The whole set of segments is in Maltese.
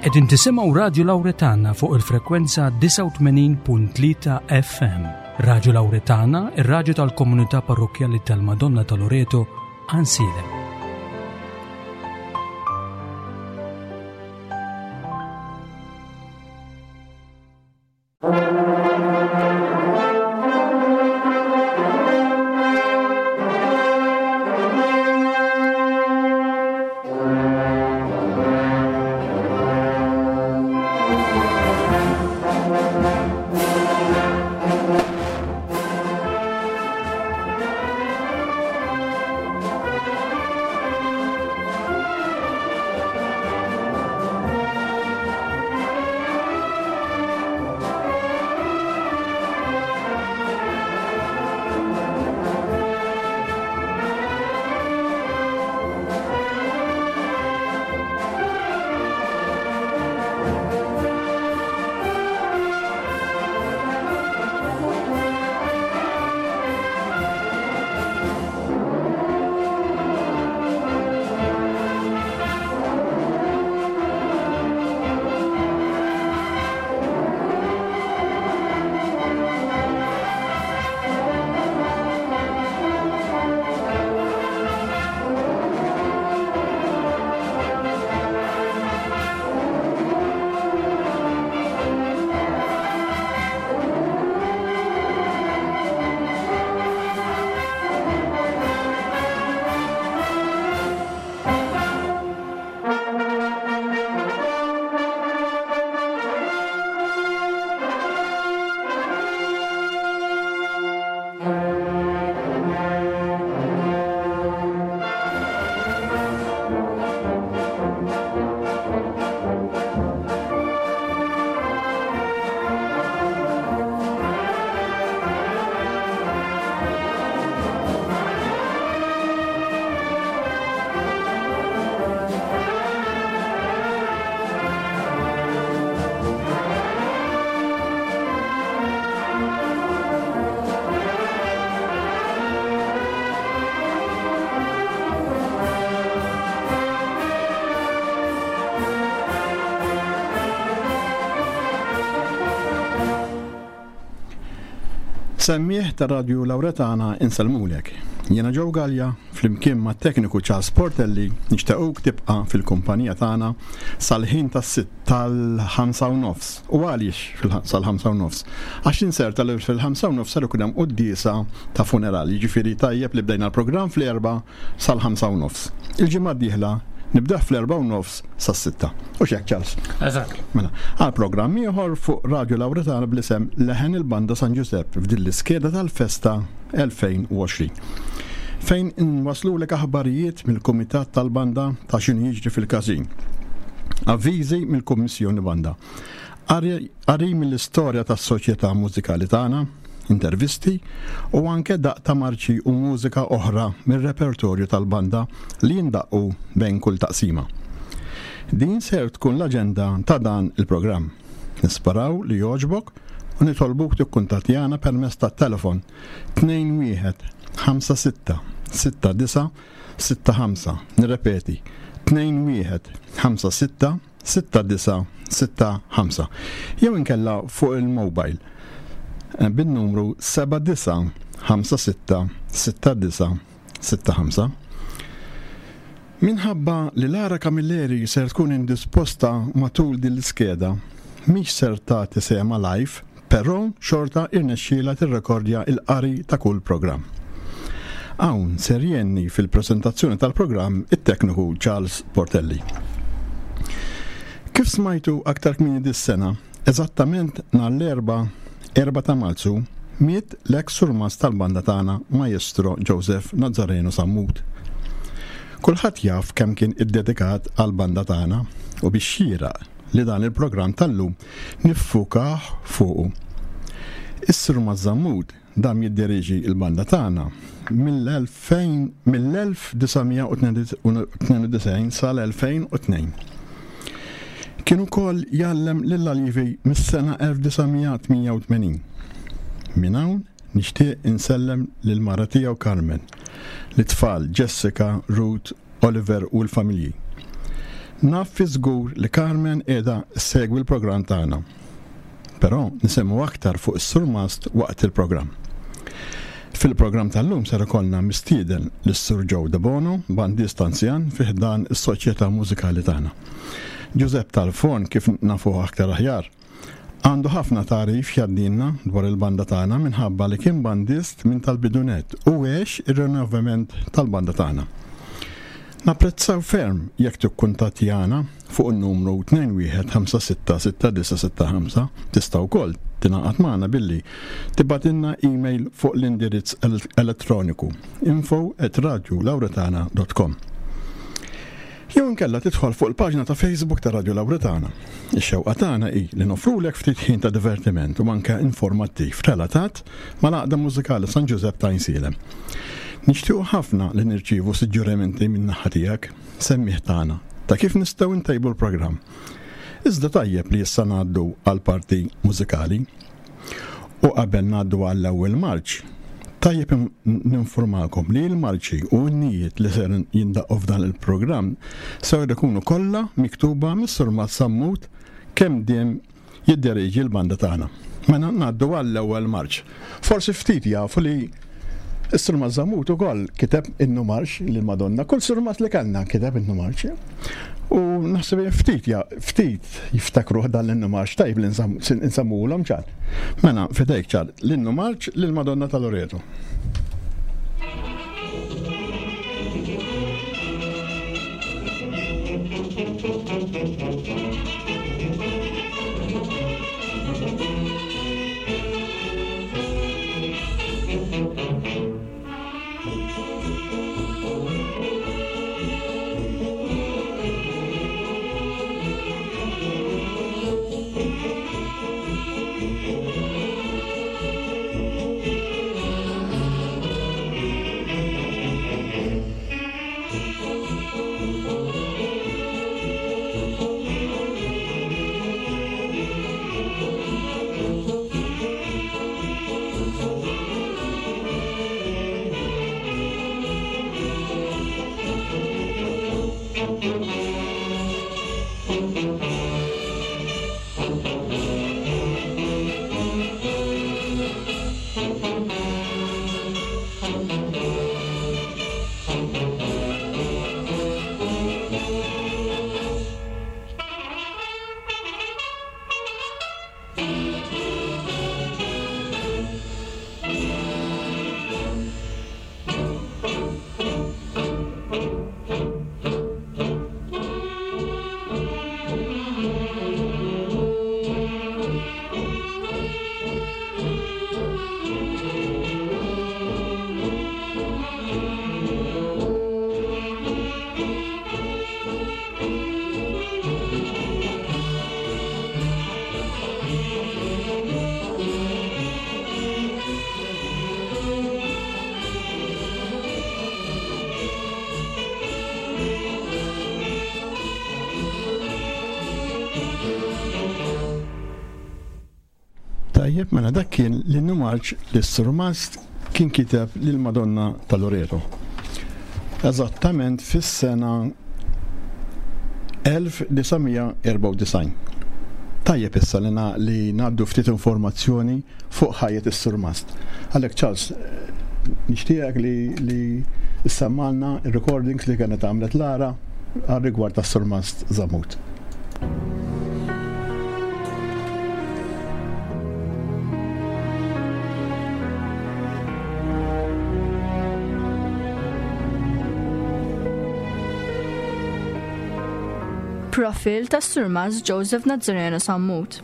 Qegħdin tisimgħu Radju Lawretana fuq il-frekwenza 89.3 FM. Radju Lawretana, ir-radju tal-komunità parrokkjali tal-Madonna ta' Loreto, Għansielem. Semmiegħ ta' Radju Lawretana insellmulek. Jiena Joe Gallia, flimkien mat-tekniku Charles Portelli nixtiequk tibqa' fil-kumpanija tagħna sal-ħin tas-sitt tal-ħamsa u nofs. U għaliex sal-ħamsa u nofs? Għax inserta li fil-ħamsa u nofs ser ikun hemm quddiesa ta' funeral, jiġifieri tajjeb li bdejna l-programm fl-erbgħa sal-ħamsa u nofs. Il-ġimgħa d-dieħla nibdeh fl-erbgħa u nofs sas-sitta. U x'hekk Charles? Eżatt. Mela, għal programm ieħor fuq Radju Lawretana bl-isem Leħen il-Banda San Ġużepp f'din l-iskeda tal-festa 2020. Fejn inwaslulek aħbarijiet mill-Kumitat tal-Banda ta' x'inhu jiġri fil-każin. Avviżi mill-Kummissjoni Banda. Qari mill-istorja tas-soċjetà mużikali tagħna, intervisti u anke daqq ta' marċi u mużika oħra mir-repertorju tal-banda li jindaqqu bejn kull taqsima. Din ser tkun l-aġenda ta' dan il-programm. Nisperaw li jogħġbok u nitolbuk tikkuntattjana permezz tat-telefon 21 56 69 65. Nirrepeti, 21 56 6965 jew inkella fuq il-mobile eh, bin-numru 79566965. Minħabba li Lara Camilleri ser tkun indisposta matul din l-iskeda, mhix ser tagħti sehemha live, però xorta irnexxielha tirrekordja l-qari ta' kull programm. Hawn ser jgħinni fil-preżentazzjoni tal-programm it-tekniku Charles Portelli. Kif smajtu aktar kmieni dis-sena, eżattament nhar l-Erbgħa, 4 ta' Marzu, miet l-eks surmast tal-banda tagħna Maestro Joseph Nazzareno Sammut. Kulħadd jaf kemm kien iddedikat għall-banda tagħna u bix-xieraq li dan il-programm tal-lum niffukah fuqu. Is-Surmast Sammut dam jidderieġi l-banda tagħna mill-1992 sal-2002. Kien ukoll jgħallem lill-aljevi mis-sena 1988. Minn hawn nixtieq insellem lill-mara tiegħu Carmen, lit-tfal Jessica, Ruth, Oliver u l-familji. Naf fi żgur li Carmen qiegħda ssegwi l-programm tagħna. Però nisemgħu aktar fuq is-Surmast waqt il-programm. Fil-programm tal-lum ser ikollna mistieden lis-Sur Joe Debono, bandist anzjan fi ħdan is-Soċjetà Mużikali tagħna. Ġużepp tal-Forn kif nafuh aktar aħjar, għandu ħafna tagħrif x'jgħaddilna dwar il-banda tagħna minħabba li kien bandist minn tal-bidu nett u għex ir-rinnovament tal-banda tagħna. Napprezzaw ferm jekk tikkuntattjana fuq in-numru 21566965. Tista' wkoll tingħaqad magħna billi tibgħatilna email fuq l-indirizz elettroniku info@radiolauretana.com. Jew inkella tidħol fuq il-paġna ta' Facebook ta' Radio Lauretana. Ix-xewqa tagħna hi li noffrulek ftit ħin ta' divertiment u anke informattiv relatat mal-Għaqda Mużikali San Ġużepp ta' Għajnsielem. Nixtiequ ħafna li nirċievu suġġerimenti min-naħa tiegħek, semmiegħ tagħna, ta' kif nistgħu ntejbu l-programm. Iżda tajjeb li issa ngħaddu għall-parti mużikali. U qabel ngħaddu għall-ewwel marċ, tajjeb ninfurmakom li l-marċi u innijiet li ser jindaqqu f'dan il-programm ser ikunu kollha miktuba mis-Surmast Sammut kemm diem jidderieġi l-banda tagħna. Mela ngħaddu għall-ewwel marċ. Forsi ftit jafu li s-Surmast Zammut ukoll kiteb innu marċ lil Madonna. Kull surmast li kellna kiteb innu marċ. U naħseb ftit ja, ftit jiftakruh dan l-innu marċ tajb li nsammulhom ċar. Mela fidejk ċar l-innu marċ lil Madonna ta' Loreto. Tajjeb, mela dak kien l-innu marċ li s-surmast kien kiteb lil Madonna ta' Loreto. Eżattament fis-sena 1994. Tajjeb issa li li ngħaddu ftit informazzjoni fuq ħajjet is-surmast. Għalhekk Charles, nixtieqek li li ssemmalna r-recordings li kienet għamlet Lara għal rigward tas-surmast Zamut. Profil tas-Surmast Joseph Nazzareno Sammut.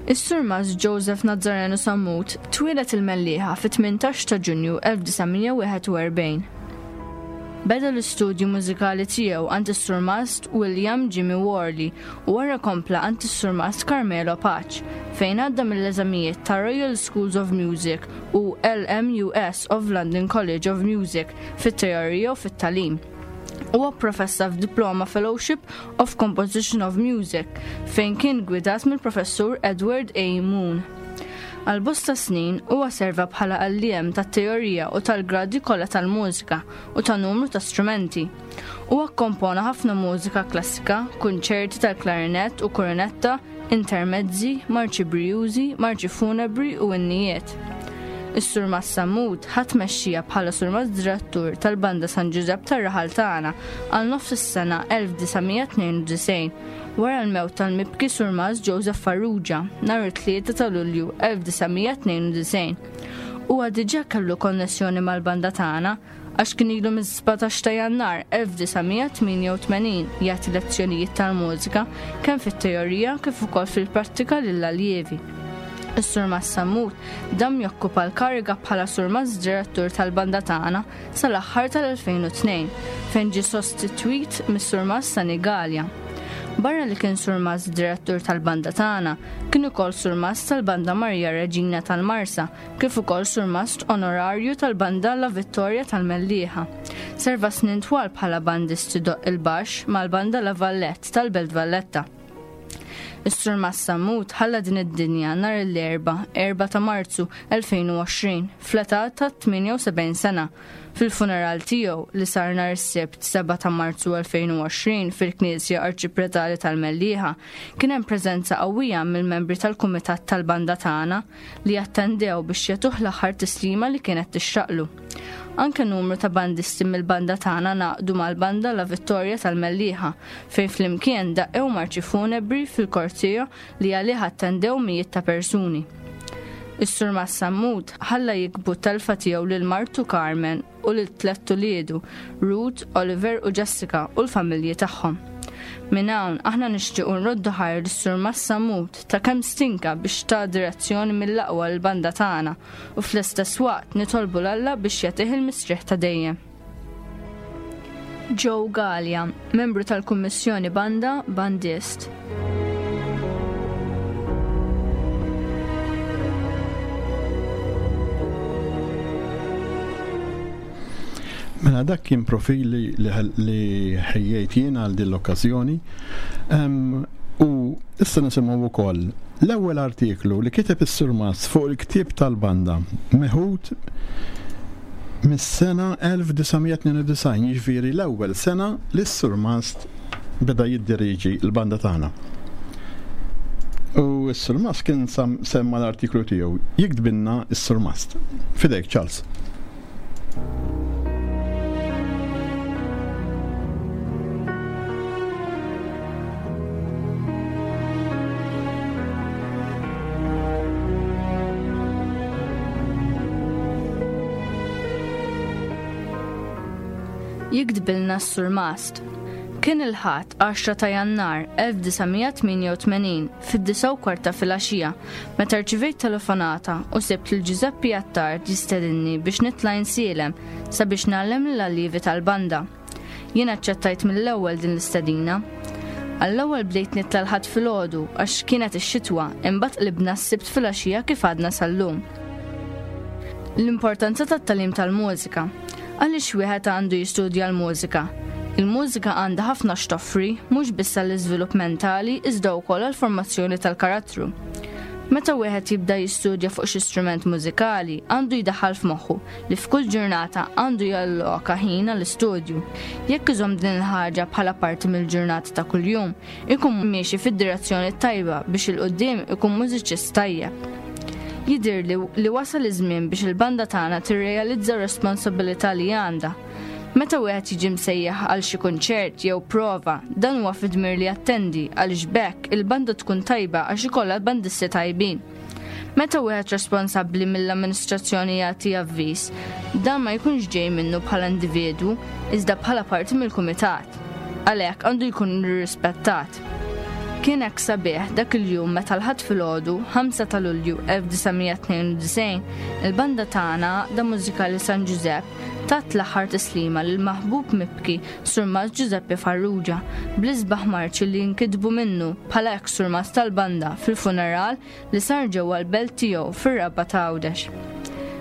Is-Surmast Joseph Nazzareno Sammut twieled il-Mellieħa fit-18 ta' Ġunju 1941. Beda l-istudju mużikali tiegħu għand is-Surmast William Jimmy Worley u wara kompla għand is-Surmast Carmelo Pace, fejn għadda mill-eżamijiet ta' Royal Schools of Music u LMUS of London College of Music fit-teorija u fit-tagħlim. Huwa pprofessa f'Diploma Fellowship of Composition of Music, fejn kien gwidat mill-Professur Edward A. Moon. Għal bosta snin huwa serva bħala għalliem tat-teorija u tal-gradi kollha tal-mużika u ta' numru ta' strumenti. Huwa kkompona ħafna mużika klassika, kunċerti tal-klarinett u kornetta, intermezzi, marċi brijużi, marċi funebri u innijiet. Is-Surmast Sammut ħa tmexxija bħala Surmast Direttur tal-Banda San Ġużepp tar-raħal tagħna għal nofs is-sena 1992 wara l-mewt tal-mibki Surmast Joseph Farrugia nhar it-3 ta' Lulju 1992. Huwa diġà kellu konnessjoni mal-banda tagħna għax kien ilu mis-17 ta' Jannar 1988 jagħti lezzjonijiet tal-mużika kemm fit-teorija kif ukoll fil-prattika lill-aljievi. Is-Surmast Sammut dam jokkupa l-kariga bħala Surmast Direttur tal-banda tagħna sal-aħħar tal-2002 fejn ġie sostitwit mis-Surmast Sani Galea. Barra li kien Surmast Direttur tal-banda tagħna, kien ukoll Surmast tal-Banda Marija Reġina tal-Marsa kif ukoll surmast onorarju tal-Banda La Vittoria tal-Mellieħa. Serva snin twal bħala bandist idoqq il-baxx mal-Banda La Vallette tal-Belt Valletta. Is-Surmast Sammut ħalla din id-dinja nhar l-Erbgħa, 4 ta' Marzu 2020, fl-età ta' 78 sena. Fil-funeral tiegħu, li sar nhar is-Sibt 7 ta' Marzu 2020 fil-Knisja Arċipretali tal-Mellieħa, kien hemm preżenza qawwija mill-membri tal-Kumitat tal-Banda tagħna, li attendew biex jagħtuh l-aħħar tislima li kienet tixraqlu. Anke numru ta' bandisti mill-banda tagħna ngħaqdu mal-banda La Vittoria tal-Mellieħa fejn flimkien daqqew marċi funebri fil-korteo li għalih attendew mijiet ta' persuni. Is-Surmast Sammut ħalla jikbu t-telfa tiegħu lil martu Carmen u lil tlett uliedu, Ruth, Oliver u Jessica u l-familji tagħhom. Minn hawn aħna nixtiequ nroddu ħajr lis-Surmast Sammut ta' kemm stinka biex ta direzzjoni mill-aqwa lill-banda tagħna u fl-istess waqt nitolbu 'l Alla biex jagħtih il-mistrieħ ta' dejjem. Joe Galea, membru tal-Kummissjoni Banda, bandist. Mela dak kien profil li ħejjejt jien għal din l-okkażjoni. U issa nisimgħu wkoll l-ewwel artiklu li kiteb is-Surmast fuq il-ktieb tal-banda meħud mis-sena 1992, jiġifieri l-ewwel sena li s-Surmast beda jiddirieġi l-banda tagħna. U s-Surmast kien semma l-artiklu tiegħu jiktbilna s-Surmast. Fidejk, Charles. Jiktbilna s-Surmast. Kien il-Ħadd 10 ta' Jannar 1988 fid-disgħa u kwart ta' filgħaxija meta rċivejt telefonata u sibt lil Ġużeppi Attard jistedinni biex nitla' Insielem sabiex ngħallem lill-allievi tal-banda. Jien aċċettajt mill-ewwel din l-istedina. Għall-ewwel bdejt nitla' l-Ħadd filgħodu għax kienet ix-xitwa imbagħad qlibna s-Sibt filgħaxija kif għadna sal-lum. L-importanza tat-tagħlim tal-mużika. Għaliex wieħed għandu jistudja l-mużika? Il-mużika għandha ħafna x'toffri, mhux biss għall-iżvilupp mentali iżda wkoll għall-formazzjoni tal-karattru. Meta wieħed jibda jistudja fuq xi strument mużikali, għandu jdaħħal f'moħħu li f'kull ġurnata għandu jalloka ħin għall-istudju. Jekk iżomm din il-ħaġa bħala parti mill-ġurnata ta' kuljum, ikun miexi fid-direzzjoni t-tajba biex 'il quddiem ikun mużiċist tajjeb. Jidhirli li wasal iż-żmien biex il-banda tagħna tirrealizza r-responsabbilità li għandha. Meta wieħed jiġi msejjaħ għal xi kunċert jew prova, dan huwa fid-dmir li jattendi għaliex b'hekk il-banda tkun tajba għax ikollha bandisti tajbin. Meta wieħed responsabbli mill-amministrazzjoni jagħti avviż, dan ma jkunx ġej minnu bħala individwu, iżda bħala parti mill-kumitat. Għalhekk għandu jkun irrispettat. Kien hekk sabiħ dak il-jum meta l-Ħadd filgħodu, 5 ta' Lulju 1992, il-banda tagħna Għaqda Mużikali San Ġużepp tat l-aħħar tislima lill-maħbub mibki Surmast Ġużeppi Farrugia bl-isbaħ marċi li nkitbu minnu bħala eks surmast tal-banda fil-funeral li sar ġewwa l-belt tiegħu fir-Rabat Għawdex.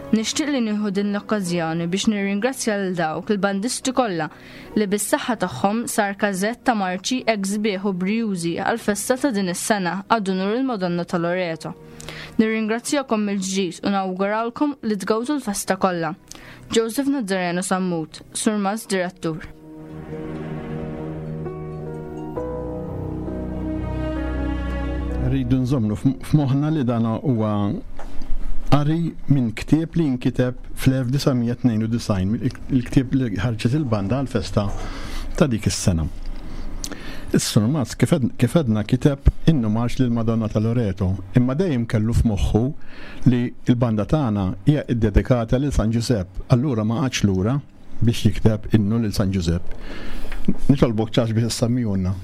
Nixtieq li nieħu din l-okkażjoni biex nirringrazzja lil dawk il-bandisti kollha li bis-saħħa tagħhom sar każett ta' marċi hekk sbieħ u brijużi għall-festa ta' din is-sena ad unur il-Madonna ta' Loreto. Nirringrazzjakom mill-ġdid u nawguralkom li tgawdu l-festa kollha. Joseph Nazzareno Sammut, Surmast Direttur. Rridu nżommu f'moħħna li dan huwa qari minn ktieb li nkiteb fl-1992, il-ktieb li ħarġet il-banda għal-festa ta' dik is-sena. Is-Surmast kif għedna kiteb innu marx lil Madonna ta' Loreto, imma dejjem kellu f'moħħu li l-banda tagħna hija ddedikata lil San Ġużepp, allura ma qagħadx lura biex jikteb innu lil San Ġużepp. Nitolbok ċax biex issemmihulna.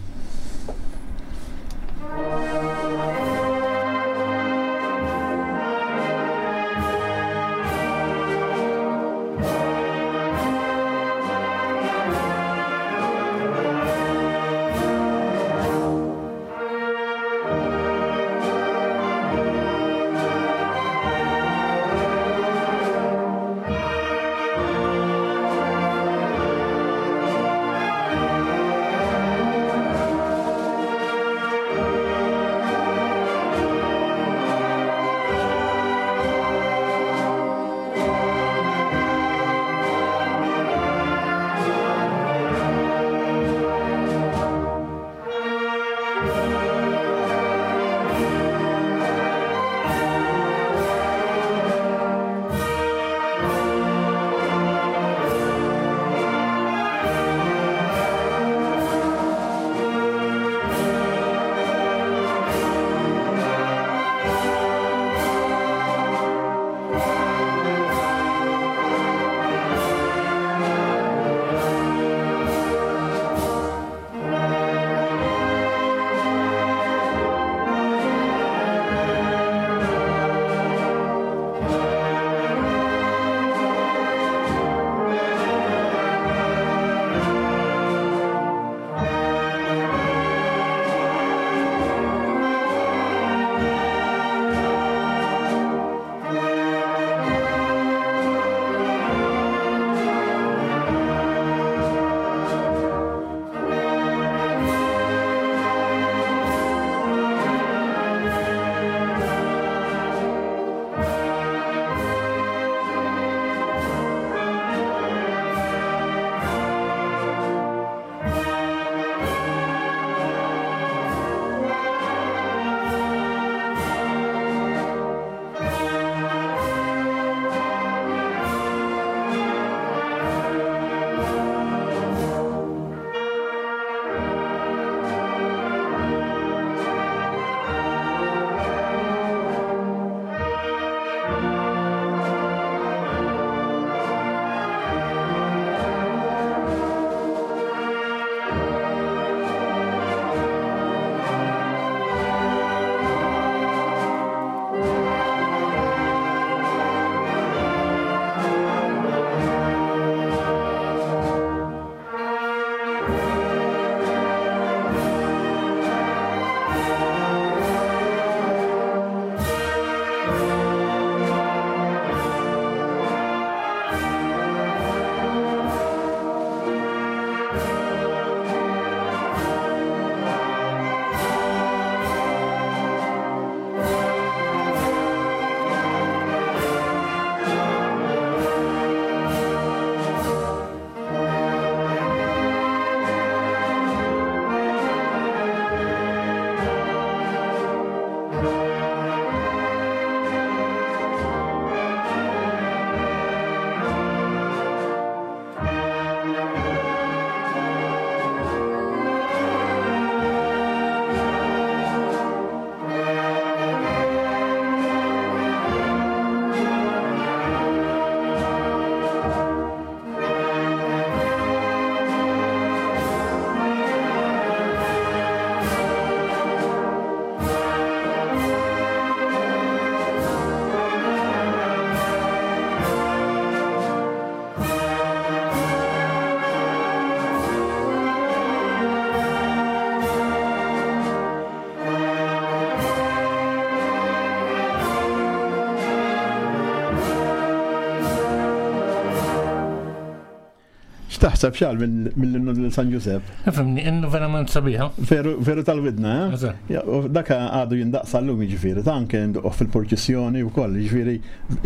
X'taħseb xal mill-innu lil San Ġużepp? Fimni, innu verament sabiħa. Veru, veru tal-widna, eh? Dak għadu jindaqsa llum jiġifieri, ta' anke jinduqoh fil-purċissjoni wkoll, jiġifieri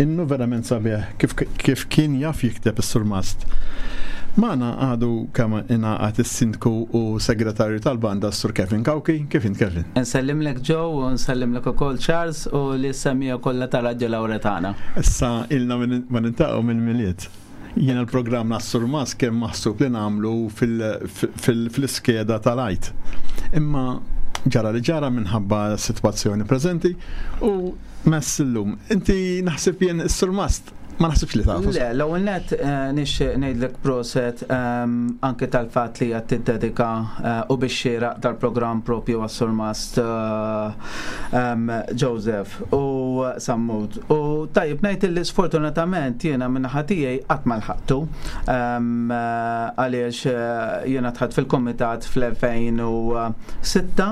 innu verament sabiħ kif, kif kien jaf jikteb is-surmast. Magħna għadu kemm ingħaqad is-Sindku u Segretarju tal-Banda s-Sur Kevin Cauchi. Kif int Kevin? Nsellimlek Joe u nsellimlek ukoll Charles u lis-semmiegħa kollha ta' Radju Lawretana. Issa ilna ma niltaqgħu mill-Milied. Jiena l-programm nas-Sur Mas kien maħsub li nagħmlu fil-iskeda tal-Għid. Imma ġara li ġara minħabba s-sitwazzjoni preżenti u mess illum. Inti naħseb jien is-Sur Mast ma naħsibx li tafu. Le, l-ewwel nett eh, nixtieq ngħidlek proset ehm, anke tal-fatt li qed tiddedika eh, u biex xieraq tal-programm propju għas-Surmast eh, ehm, Joseph u Sammut. U tajjeb ngħid li sfortunatament jiena minn naħa tiegħi qatt ma lħaqtu ehm, għaliex jiena tħadd fil-kumitat fl-2006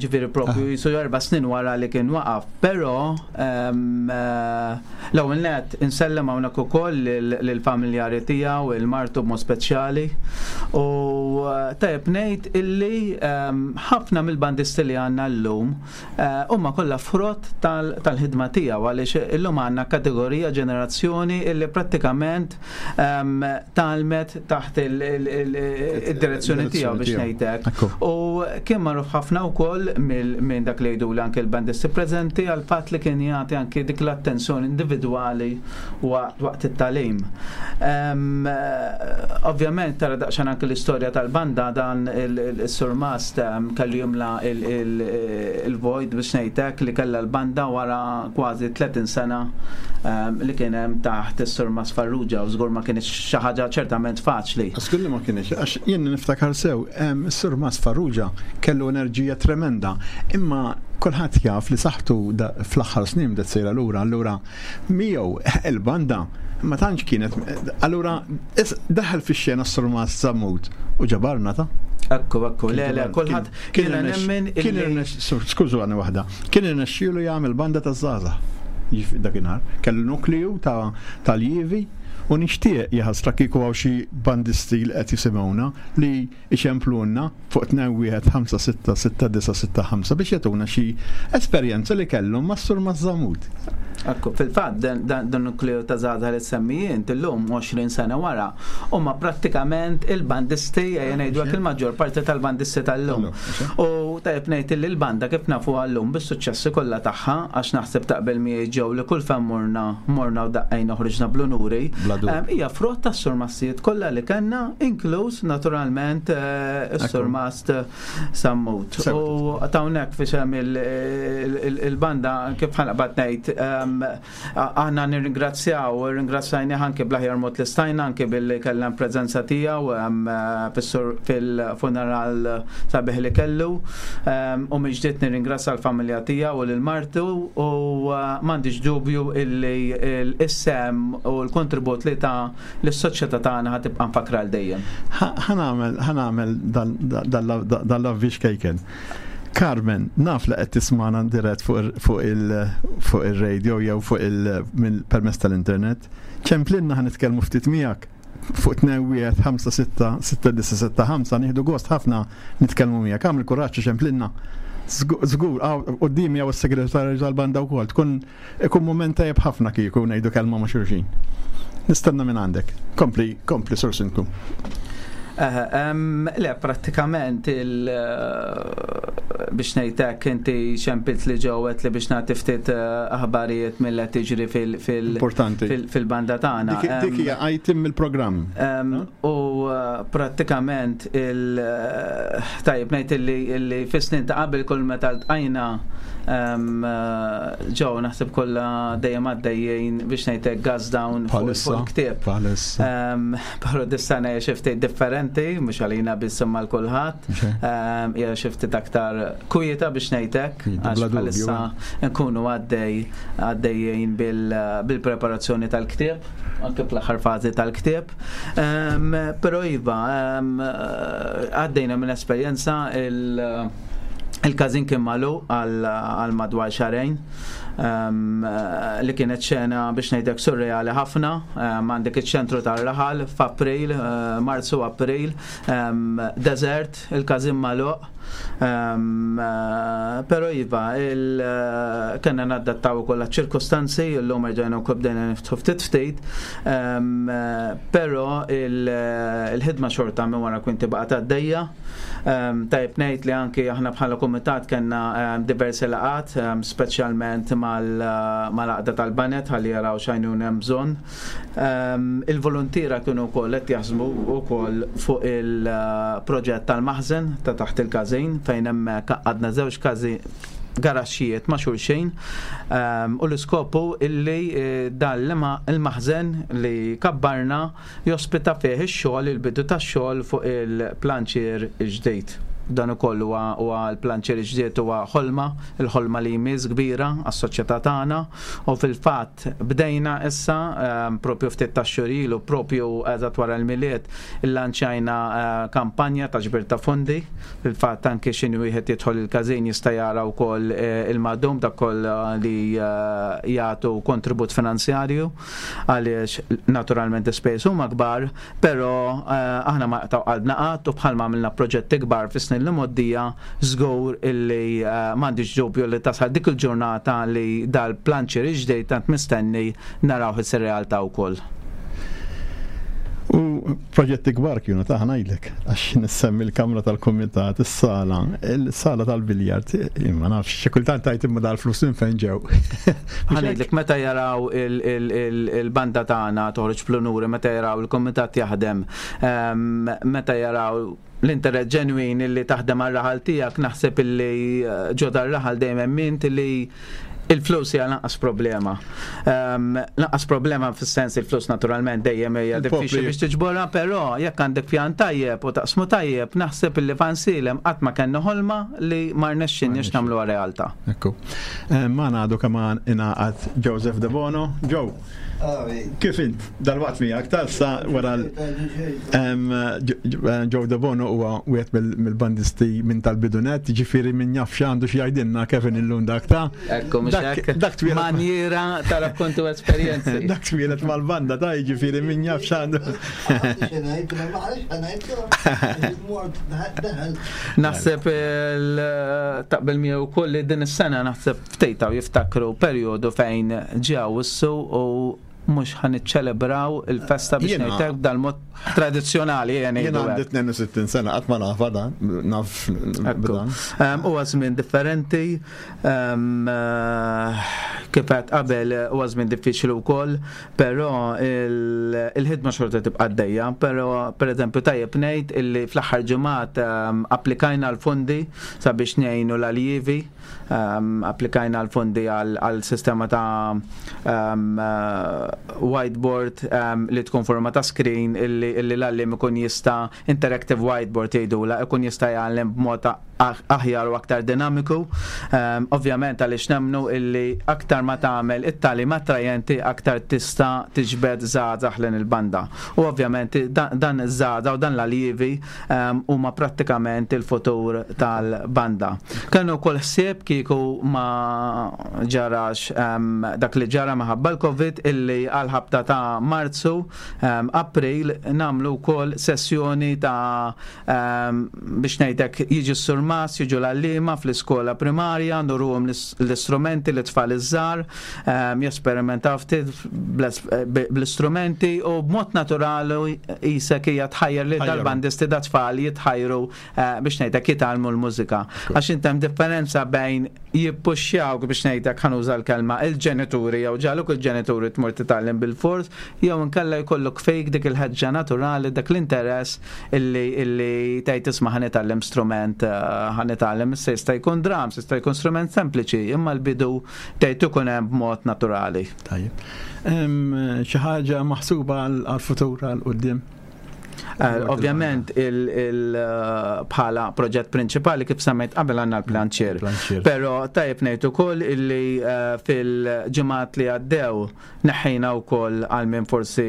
ġifieri propju ah. jisu erba' snin wara li kien waqaf, però L-ewwel nett insellem hawnhekk ukoll lill-familjari tiegħu, il-martu b'mod speċjali. U eh, tajjeb ngħid illi ħafna mill-bandisti li għandna llum eh, huma kollha frott tal-ħidma tiegħu għaliex illum għandna kategorija ġenerazzjoni illi prattikament tgħallmet taħt id-direzzjoni tiegħu biex ngħidlek. U kien magħruf ħafna wkoll minn dak li jgħidu anke l-bandisti preżenti għal fatt li kien jagħti anke dik l-attenzjoni individwali waqt it-tagħlim. Ovvjament tara daqsxejn anke l-istorja tal-banda dan is-surmast kellu jimla il-vojt biex ngħidlek li kellha l-banda wara kważi 30 sena li kien hemm taħt is-Sur Mas Farrugia u żgur ma kinitx xi ħaġa ċertament faċli. Żgur li ma kinitx, għax jien niftakar sew, is-Sur Mas Farrugia kellu enerġija tremenda, imma kulħadd jaf li saħħtu fl-aħħar snin bdiet sejra lura, allura miegħu il-banda ma tantx kienet, allura daħal fix-xena s-Sur Mas Sammut u ġabarna ta'. Ekku, ekku, le, le, kulħadd kien nemmen kien skużani waħda, Kien irnexxielu jagħmel banda taż-żgħażagħ dakinhar. Kellu nukleu ta' aljievi u nixtieq, jaħasra kieku hawn xi bandisti li qed jisimgħuna li jċemplulna fuq 21566965 biex jagħtuna xi esperjenza li kellhom mas-Sur Mażżamud. Ekku, fil-fatt dan nukleu ta' żgħażagħ li semmi int illum 20 sena wara huma prattikament il-bandisti ejja ngħidu hekk il-maġġor parti tal-bandisti tal-lum. U tajjeb ngħid illi l-banda kif nafuha llum bis-suċċessi kollha tagħha, għax naħseb taqbel miegħi Joe li kull fejn morna, morna u daqqejna u ħriġna bl-unuri, hija frott tas-surmastijiet kollha li kellna, inkluż naturalment is-surmast Sammut. U hawnhekk f'isem il-banda kif ħa naqbad ngħid, Aħna nirringrazzjaw, u rringrazzajnih anke bl-aħjar mod li stajna, anke billi kellna l-preżenza tiegħu fil-funeral sabiħ li kellu. U mill-ġdid nirringrazzja l-familja tiegħu u lil martu u m'għandix dubju illi s-sehem u l-kontribut li ta lis-soċjetà tagħna ħa tibqa' mfakkra għal dejjem. Ħa nagħmel dan l-avviż kejken. Carmen, naf li qed tismagħna dirett fuq il-radio jew fuq il permezz tal-internet. Ċemplinna ħa nitkellmu ftit miegħek fuq 21 56 6975 nieħdu gost ħafna nitkellmu miegħek. Agħmel kuraġġ ċemplinna. Żgur, qudiemi hawn is-segretarju tal-banda wkoll. Tkun ikun mument tajjeb ħafna kieku ngħidu kelma ma' xulxin. Nistenna minn għandek. Kompli, kompli, Sur Sindku. Le, prattikament il eh, biex ngħidlek inti xempilt li ġewet li biex nagħti ftit eh, aħbarijiet mill qed tiġri fil-banda tagħna. Dik hija item mill-programm. U eh, prattikament il tajjeb ngħid illi fis-snin ta' qabel kull meta ltqajna ġew naħseb kollha dejjem għaddejjin biex ngħidlek gas down fuq il-ktieb. Però dis-sena hija xi ftit differenti, mhux għalina biss imma l kulħadd. Hija xi ftit aktar kwieta biex ngħidlek, għax bħalissa nkunu għaddej għaddejjin bil-preparazzjoni tal-ktieb, anke fl-aħħar fażi tal-ktieb. Però iva, għaddejna minn esperjenza il- Il-każin kien magħluq għal madwar xahrejn li kienet xena biex ngħidlek surreali ħafna. Għandek iċ-ċentru tar-raħal f'April, Marzu April, desert, il-każin magħluq. Però iva, kellna nadattaw ukoll għaċ-ċirkustanzi, illum erġajna wkoll bdejna niftħu ftit ftit, però il-ħidma xorta minn wara kwinti baqgħet għaddejja. Tajjeb ngħid li anki aħna bħala kumitat kellna diversi laqgħat, speċjalment mal-għaqda tal-banet ħalli jaraw x'għajnuna hemm bżonn. Il-voluntiera kienu wkoll qed jaħsbu wkoll fuq il-proġett tal-maħżen ta' taħt il-każin fejn hemmhekk għaqqadna żewġ każi garaxxijiet ma' xulxin u l-iskopu illi eh, dan il-maħżen li kabbarna jospita fih ix-xogħol il-bidu tax-xogħol fuq il-planċier ġdid. Dan ukoll huwa l-planċier ġdid huwa ħolma, il-ħolma li jmiss kbira għas-soċjetà tagħna u fil-fatt Bdejna issa, propju ftit tax-xhur ilu, propju eżatt wara l-Milied, illanċjajna kampanja ta' ġbir ta' fondi. Fil-fatt anki x'inhi wieħed jidħol il-każin jista' jara wkoll il-madum dak kollha li jagħtu kontribut finanzjarju għaliex naturalment l-ispejjeż huma kbar, Però aħna ma nqtgħu qalbna qatt u bħalma għamilna proġetti kbar fis-snin li mgħoddija, żgur illi m'għandix dubju li tasal dik il-ġurnata li dal-planċier il-ġdid tant mistenni narawh isir realtà wkoll. U proġetti kbar kienu ta' ngħidlek, għax nissemmi l-kamra tal-kumitat, is-sala, il-sala tal-biljard, imma nafx, xi kultant tgħid imma dal-flus minn fejn ġew. Ħa ngħidlek meta jaraw il-banda tagħna toħroġ bl-unuri, meta jaraw il-kumitat jaħdem, meta jaraw l-interess ġenwin illi taħdem għar-raħal tiegħek, naħseb illi ġo dar-raħal dejjem emmint illi il-flus hija lanqas problema. Lanqas problema fis-sens il-flus naturalment dejjem hija diffiċli biex tiġborha, però jekk għandek pjan tajjeb u taqsmu tajjeb, naħseb illi f'Għajnsielem qatt ma kellna ħolma li ma rnexxinniex nagħmluha realtà. Ekku. Eh, ma għadu kemm ingħaqad Joseph De Bono. Joe, kif int? Dal-waqt miegħek tal-sa wara Joe De Bono huwa wieħed mill-bandisti minn tal-bidunet, ġifieri min jaf x'għandu xi jgħidilna Kevin illum dak ta' Ekku, mhux hekk. Dak twieled. Manjiera ta' rakkontu esperjenzi. Dak twieled mal-banda ta' jiġifieri min jaf x'għandu. Naħseb taqbel miegħu wkoll li din is-sena naħseb ftit hawn jiftakru perjodu fejn ġew issu u mhux ħa niċċelebraw il-festa biex ngħidlek b'dal-mod tradizzjonali ejja ngħidu. Jien għandi 62 sena qatt ma nafha dan, naf b'dan. Huwa żmien differenti, kif għedt qabel huwa żmien diffiċli wkoll, Però il-ħidma xorta tibqa' għaddejja, però pereżempju tajjeb ngħid illi fl-aħħar ġimgħat applikajna l-fondi sabiex ngħinu l-aljievi, applikajna l-fondi għal sistema ta' whiteboard li tkun forma ta' screen illi l-għalliem ikun jista' interactive whiteboard jgħidulha, ikun jista' jgħallem b'mod aħjar u aktar dinamiku. Ehm, ovvjament għaliex nemmnu illi aktar ma tagħmel it-tagħlim attrajenti aktar tista' tiġbed żgħażagħ lejn il-banda. U ovvjament dan iż-żgħażagħ u dan l-aljivi ehm, huma prattikament il-futur tal-banda. Kellu wkoll ħsieb kieku ma ġarax ehm, dak li ġara minħabba l-Covid illi għal ħabta ta' Marzu, April nagħmlu wkoll sessjoni ta' Biex ngħidlek, jiġi s-surmast, jiġu l-għalliema fl-iskola primarja, nuruhom l-istrumenti lit-tfal iż-żgħar, jesperimentaw ftit bl-istrumenti u b'mod naturali qisek hija tħajjar lil dal-bandisti dat-tfal jitħajru biex ngħidlek jitgħallmu l-mużika. Għax int hemm differenza bejn jippuxxjawk biex ngħidlek ħa nuża l-kelma il-ġenituri jew ġagħluk il-ġenituri tmur titgħallem bilfors jew inkella jkollok fik dik il-ħeġġa naturali, dak l-interess illi illi tgħid isma' ħa nitgħallem strument, eh, ħa nitgħallem issa jista' jkun drums, jista' jkun strument sempliċi, imma l-bidu tgħid ikun hemm b'mod naturali. Tajjeb. Xi ħaġa maħsuba għall-futur għal quddiem? Eh, ovvjament il eh, bħala proġett prinċipali kif semmejt qabel għandna l-planċier. Però tajjeb ngħid ukoll illi fil-ġimgħat li għaddew Neħħejna wkoll għal min forsi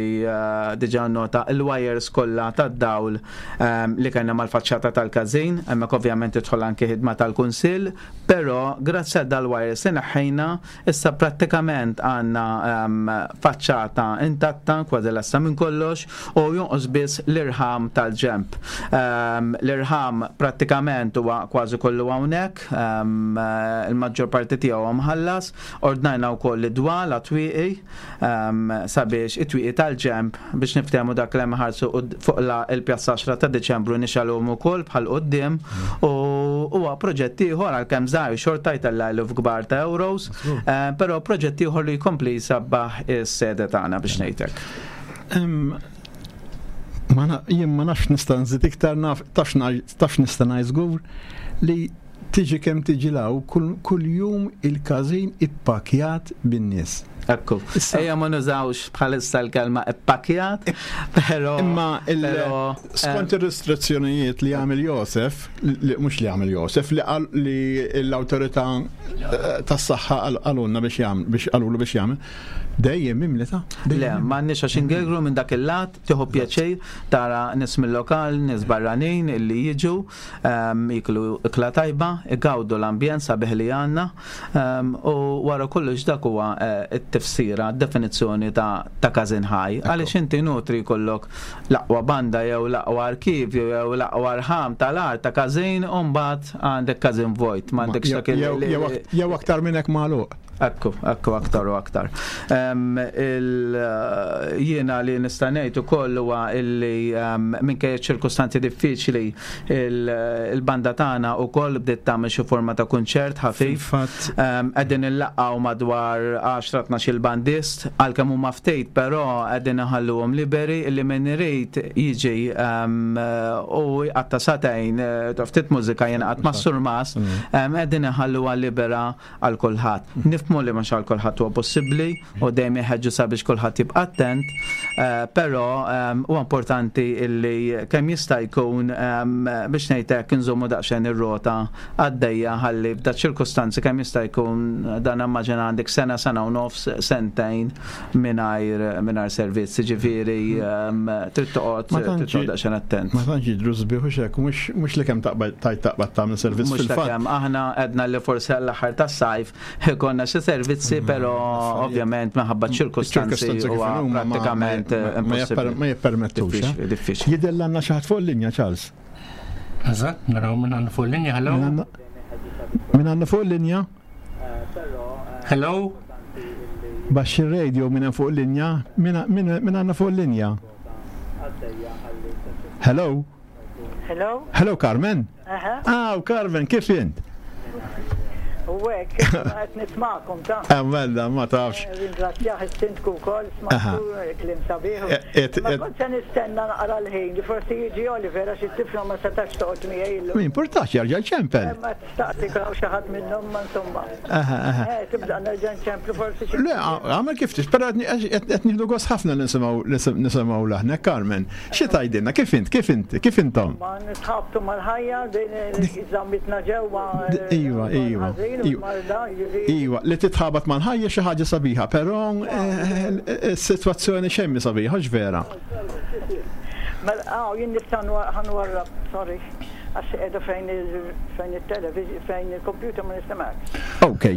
diġà nnota l-wires kollha tad-dawl li kellna mal-faċċata tal-każin, hemmhekk ovvjament tidħol anki ħidma tal-Kunsill, però grazzi għal dal-wires li neħħejna issa prattikament għandna faċċata intatta kważi lesta minn kollox u jonqos biss li l-irħam tal-ġemp. L-irħam prattikament huwa kważi kollu hawnhekk, il-maġġor parti tiegħu mħallas, ordnajna wkoll id-dwal għat-twieqi sabiex it-twieqi tal-ġemp biex niftehmu dak li hemm ħarsu fuq il-Pjazza 10 ta' Diċembru nixgħalhom ukoll bħal quddiem u huwa proġett ieħor għalkemm żgħir xorta jtella' eluf kbar ta' euros, però proġett ieħor li jkompli jsabbaħ is-sede tagħna biex ngħidlek. Jien ma nafx nista' nżid iktar naf taf nista' ngħid żgur li tiġi kemm tiġi law kull jum il-każin ippakjat bin-nies. Ekku. Ejja ma nużawx bħalissa l-kelma ippakjat, però. Imma skont ir-restrizzjonijiet li għamel Josef, mhux li għamel Josef, li qal li l-awtorità eh, tas-saħħa qalulna biex jagħmel biex qalulu biex jagħmel, dejjem mimli ta' Le, m'għandniex għax ingegru minn dak il-lat, tieħu pjaċir tara nies mill-lokal, nies barranin illi jiġu, ehm, jiklu ikla tajba, igawdu l-ambjent sabiħ li għandna ehm, u wara kollox dak huwa eh, t-tifsira, d-definizzjoni ta' każin ħaj. Għaliex inti nutri jkollok l-aqwa banda jew l-aqwa arkivju jew l-aqwa rħam tal-art ta' każin u mbagħad għandek każin vojt, m'għandekx dak il- Jew aktar minn hekk magħluq. Ekku, ekku aktar u aktar. Jiena li nista' ngħid ukoll huwa illi minkejja ċirkustanzi diffiċli il-banda tagħna wkoll bdiet tagħmel xi forma ta' kunċert ħafif. Qegħdin illaqgħu madwar 10-12 il-bandist għalkemm huma ftit però qegħdin iħalluhom liberi illi min irid jiġi u jqatta' sagħtejn ftit mużika jingħaqad mas-surmast qegħdin iħalluha libera għal kulħadd. Nifhmu li mhux għal kulħadd huwa possibbli u dejjem iħeġġu sabiex kulħadd jibqa' attent, eh, però eh, huwa importanti illi kemm jista' jkun eh, biex ngħid hekk inżommu daqsxejn ir-rota għaddejja ħalli f'da ċirkustanzi kemm jista' jkun dan immaġina għandek sena, sena u nofs, sentejn mingħajr mingħajr servizz, ġifieri ehm, trid toqgħod trid toqgħod daqsxejn attent. Ma tantx jidhru sbieħ u xek, mhux li kemm taqbad tajt taqbad tagħmel servizz fil-fatt. Aħna għedna li forsi għall-aħħar tas-sajf konna xi servizzi, mm, però ovvjament minħabba ċirkustanzi huwa prattikament impossibbli. Ma jippermettux. Eh? Diffiċli. Jidher għandna xi ħadd fuq il-linja, Charles. Eżatt, naraw minn għandna fuq il-linja, hello. Minn għandna fuq il-linja? Hello? Baxxi r-radio minn hemm fuq il-linja, min għandna fuq il-linja? Hello? Hello? Hello Carmen? Ah, Carmen, kif int? U hekk, qed nismakom ta'. Eh, mela, ma tafx. Eh, ringrazzjah is-sindku wkoll, smajtu eh, kliem sabiħ. Ma kont se nistenna naqra l-ħin li forsi jiġi Oliver għax it-tifla ma setax toqgħod miegħi illum. Ma importax jarġa' ċempel. Ma Staqsi hawn xi ħadd minnhom ma insomma. Eh, tibda nerġa' nċemplu forsi xi. Le, għamel kif tix, però qed nieħdu gost ħafna nisimgħu nisimgħu laħnek Carmen. Xi tgħidilna kif int, kif int, kif intom? Ma nitħabtu mal-ħajja din żammitna ġewwa. Eh, iva, iva. Iva, li titħabat mal-ħajja xi ħaġa sabiħa, però eh, is-sitwazzjoni xejn sabiħa x'vera. Mela, ah, jien nista' ħanwarrab, sorry. Għax qiegħda fejn fejn it-television, fejn il-computer ma nistemgħekx. Ok.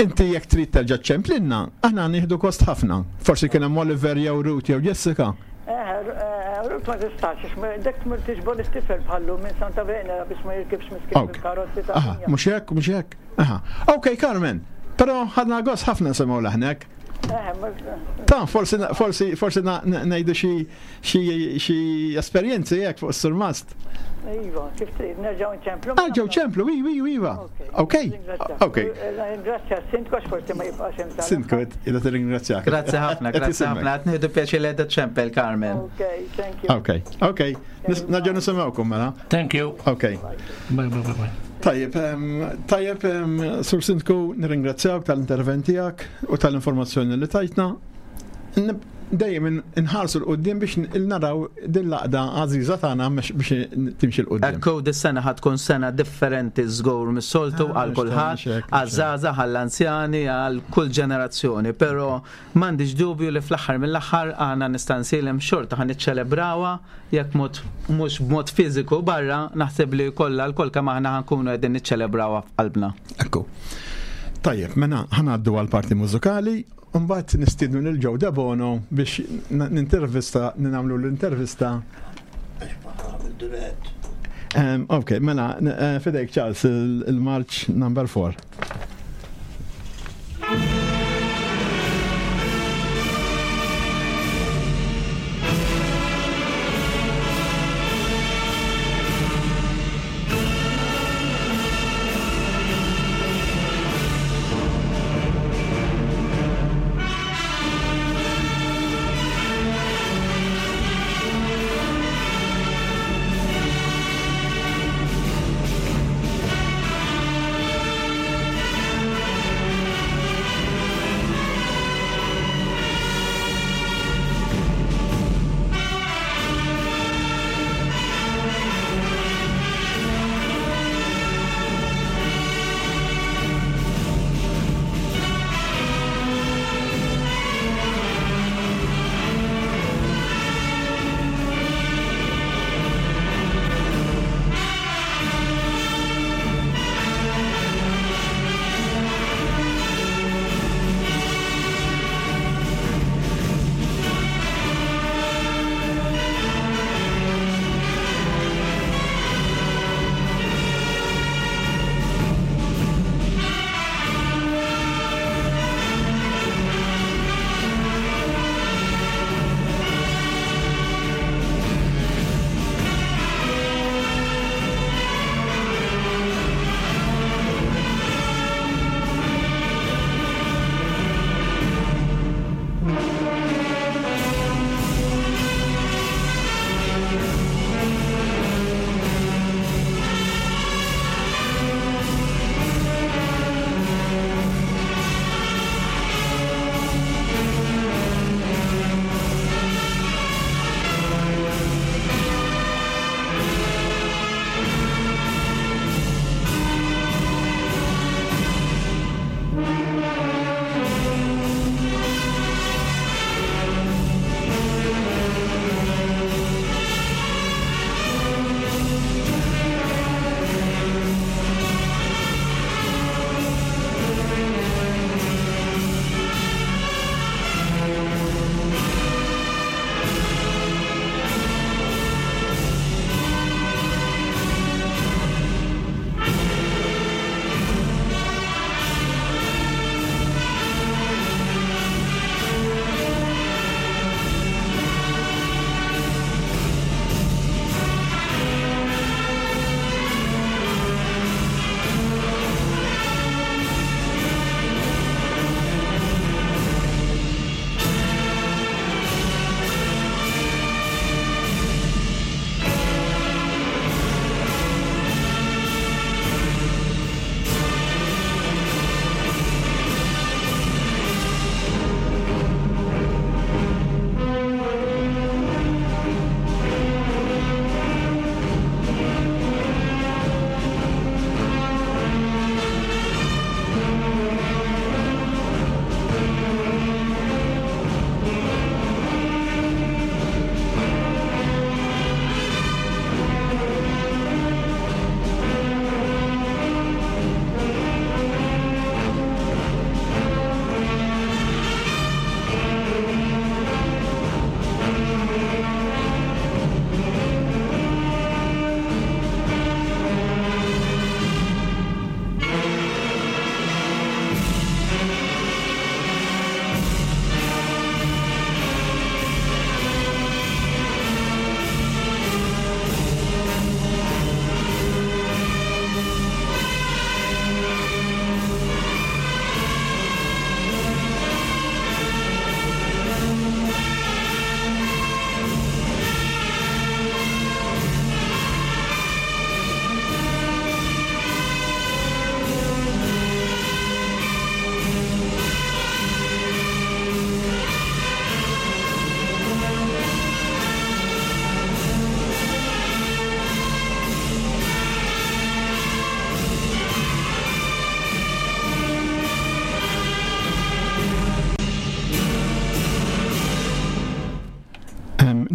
Inti jekk trid terġa' ċċemplinna, aħna nieħdu gost ħafna. Forsi kien hemm Oliver jew Ruth jew Jessica. Eh, eh, Ruth ma tistax, għax dak tmur tiġbor it-tifel bħallu minn Santa Venera biex ma jirkibx miskin bil-karozzi ta' Aha, mhux hekk, mhux hekk. Aha. Ok, Carmen. Però ħadna gost ħafna nisimgħu leħnek. Eh, Ta' forsi forsi forsi ngħidu xi Xi esperjenzi hekk fuq is-surmast? Iva, kif trid, nerġgħu nċemplu. Nerġgħu ċemplu, iva, iva, iva. Ok, ok. Ringrazzja s-sindku għax forsi ma jibqax hemm tal. Sindku, qiegħda tirringrazzjak. Grazzi ħafna, grazzi ħafna. Qed nieħdu pjaċir li qiegħda ċempel, Carmen. Ok, thank you. Ok, ok. Nerġgħu nisimgħukom mela. Thank you. Ok. Bye, bye, bye, bye. Tajjeb, tajjeb, Sur Sindku, nirringrazzjawk tal-intervent tiegħek u tal-informazzjoni li tajtna. Dejjem inħarsu 'l quddiem biex naraw din l-għaqda għażiża tagħna biex timxi 'l quddiem. Ekku, dis-sena ħa tkun sena differenti żgur mis-soltu ah, għal kulħadd, għaż-żgħażagħ, għall-anzjani, għal kull ġenerazzjoni, però m'għandix dubju li fl-aħħar mill-aħħar għandna nista' nsilem xorta ħa niċċelebrawha jekk mod mhux b'mod fiżiku barra, naħseb li kollha lkoll kemm aħna ħa nkunu qegħdin niċċelebrawha f'qalbna. Ekku. Tajjeb, mela ħa ngħaddu għall-parti mużikali Mbagħad nistiednu lil Joe Debono biex nintervista, nagħmlu l-intervista. Ok, mela, eh, fidejk Charles, il-marċ number 4.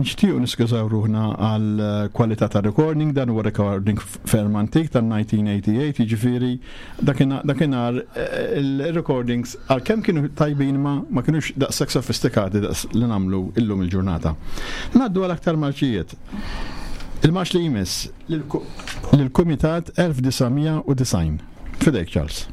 Nixtiequ niskużaw ruħna għal eh, kwalità ta' recording, dan huwa recording ferm antik tan-1988, jiġifieri dakinhar eh, il-recordings għalkemm kienu tajbin ma ma kinux daqshekk sofistikati daqs li nagħmlu illum il-ġurnata. Ngħaddu għal aktar marċijiet. Il-marx li jmiss lill-Kumitat 1990. Fidejk Charles.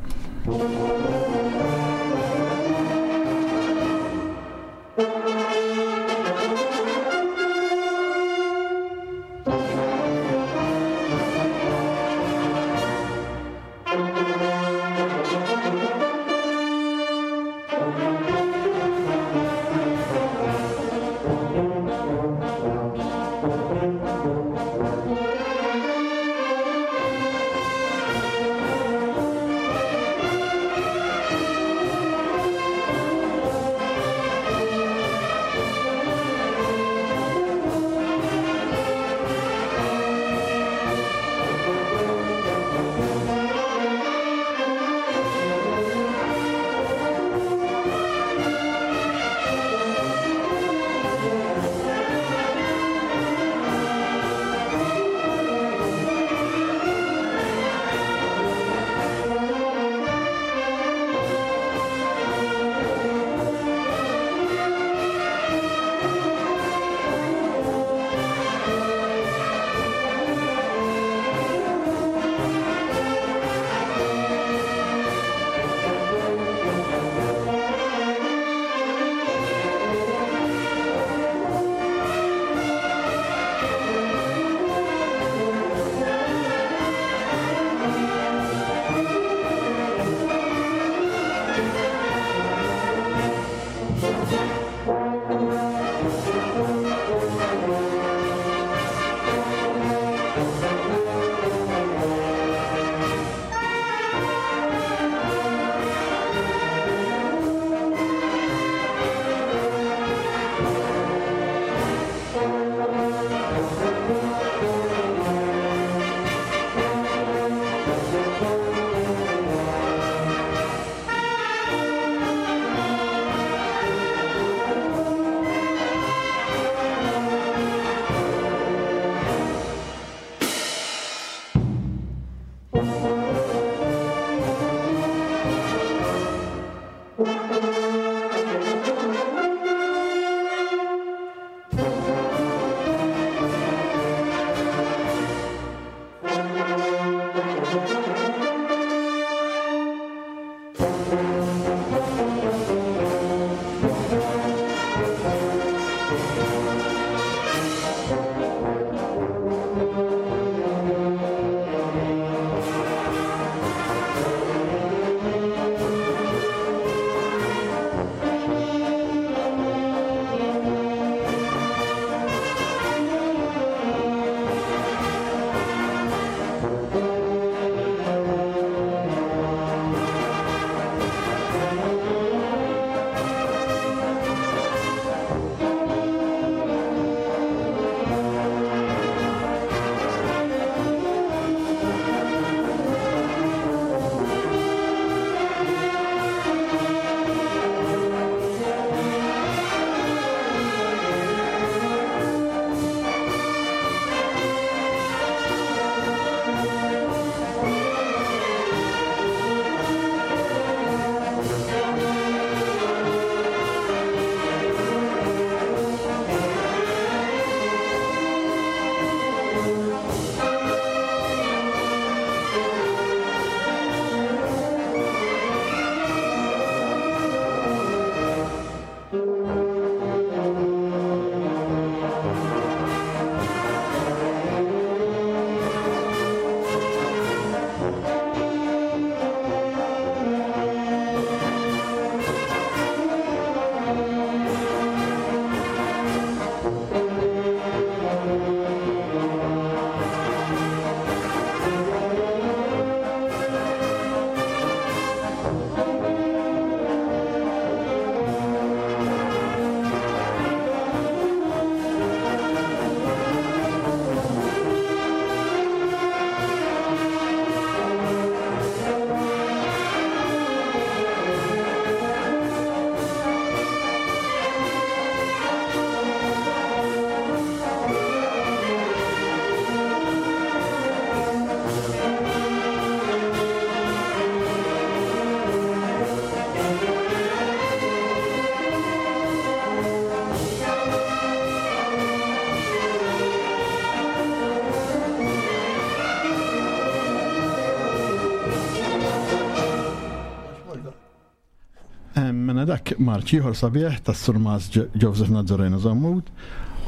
Mela dak marċ ieħor sabiħ tas-Surmas Joseph Nazzareno Zammut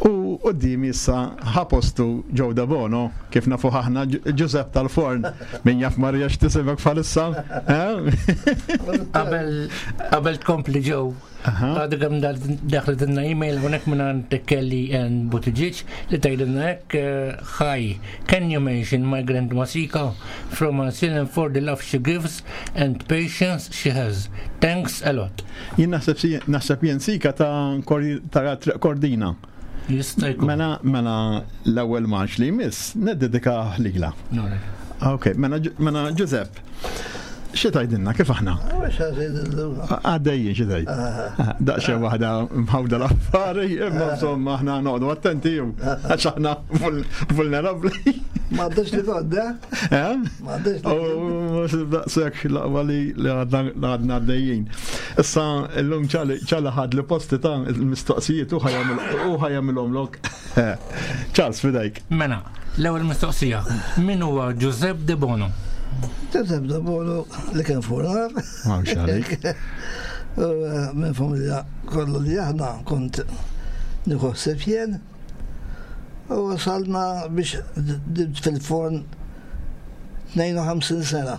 u qudiemi issa ħa postu Joe Debono kif nafu aħna Giuseppe tal-Forn. Min jaf Marija x'tisimek bħalissa? Eh? Qabel qabel tkompli Joe. Għadu kemm daħlet inna email hawnhekk minn għand Kelly Ann Buttigieg li tgħidilna hekk eh, Hi, can you mention my grandma Sika from Ansilin for the love she gives and patience she has. Thanks a lot. Jien naħseb si- naħseb jien sika ta' ta' Triq Kordina. Jista' jkun. Mela mela l-ewwel marċ li jmiss neddedika lilha. Ok, mela mela Giuseppe, xi tgħidilna kif aħna? Għaddejjin xi tgħid. Daqsxejn waħda mħawda l-affari, imma insomma aħna noqogħdu attenti għax aħna vulnerabbli. Ma għandix li tgħodda? Eh? Ma għandix li. U daqshekk l-aqwa li għadna għaddejjin. Issa llum ċali ħad li posti ta' il-mistoqsijiet u ħajamilhom lok. Charles, fidejk. Mela, l-ewwel mistoqsija, min huwa Giuseppe De Bono? Giuseppe De Bono li kien furnar. Mawx għalik. Eh, minn familja kollu li aħna kont nieħu ħsieb jien. U wasalna biex dibt fil-forn 52 sena.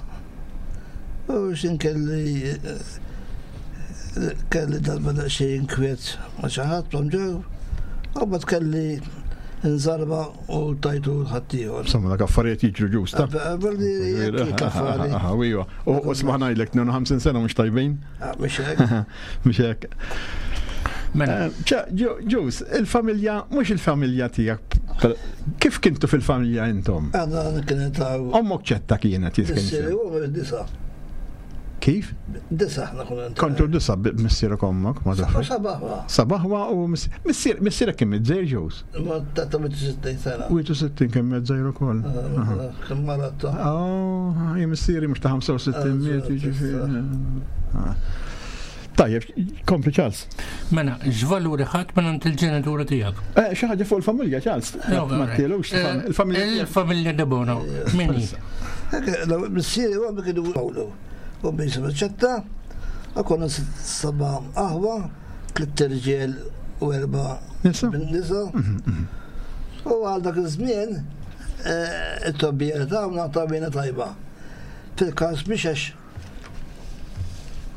U xin kelli eh, kelli darba daqsxejn inkwiet ma' xi ħadd ġew, u mbagħad kelli nżarba u tajtu l-ħaddieħor. Insomma, dak affarijiet jiġru ġusta. Iva. U smaħ ngħidlek 52 sena mhux tajbin. Ah, mhux hekk. Mhux hekk. Mela. Eh, Ġus, il-familja, mhux il-familja tiegħek, kif kintu fil-familja intom? Għadna kienet għaw. Ommok ċetta kienet jiskin. Disa. Kif? Disa ħna konna. Kontu disa missierek ommok, ma tafx. Sabaħwa. Sabaħwa u missier missierek kien mizzejr ġews. Ma ta' 60 sena. 61 kien mizzejr ukoll. Ah, kien maratta. Oh, missieri mhux ta' 65 ah, miet jiġifieri. Ah. Tajjeb, kompli Charles. Mela, x'valuri ħadd minn għand il-ġenituri tiegħek? Eh, xi ħaġa fuq il-familja, Charles. Ma tilux eh, il-familja. Il-familja Debono. Min hi? Missieri u għammi kienu Pawlu. U jisimha ċetta, u konna seba' aħwa, tliet irġiel u erba' nisa. Mhm, mhm. U għal dak iż-żmien eh, it-tobbija tagħna tabina tajba. Fil-każ biex għax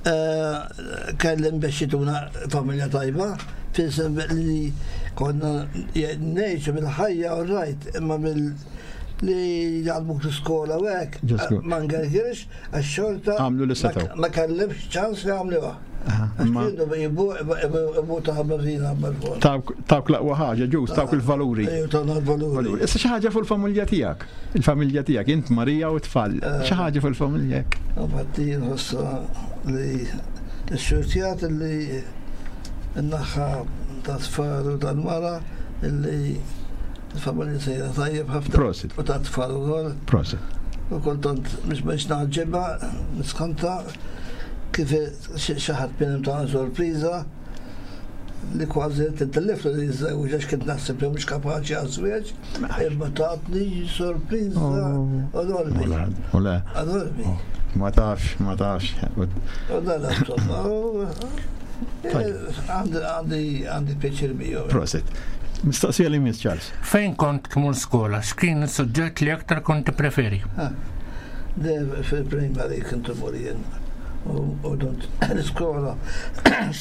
eh, kellim biex jituna familja tajba, fil li konna ngħixu mill-ħajja u rajt, imma mill li jgħalmuk l-iskola u hekk, ma ngergirx, għax xorta għamlu li setgħu. Ma kellimx ċans li għamluha. Tawk l-aqwa ħaġa, ġus, tawk il-valuri. il-valuri. Issa xi ħaġa fuq il-familja tiegħek. Il-familja tiegħek, int Marija u tfal. Eh. Xi ħaġa fuq il-familja hekk. Infatti nħossa li x-xurtjat li n-naħa ta' tfal u tal-mara li Il-familja sejra tajjeb ħafna. Prosit. U ta' tfal ukoll. Prosit. U kultant mhux biex naġġibha, niskanta kif xi ħadd minnhom ta' sorpriża li kważi tintellef li jiżżewġ għax kien naħseb li mhux kapaċi għaż-żwieġ, imma tatni sorpriża oh. enormi. Enormi. Oh. Ma tafx, ma tafx. U dan insomma. Għandi għandi pjaċir biju. Prosit. Mistoqsija li miss Charles. Fejn kont tmur skola, x'kien is-suġġett li aktar kont tippreferi? Fil-primary kont imur jien. U dont l-iskola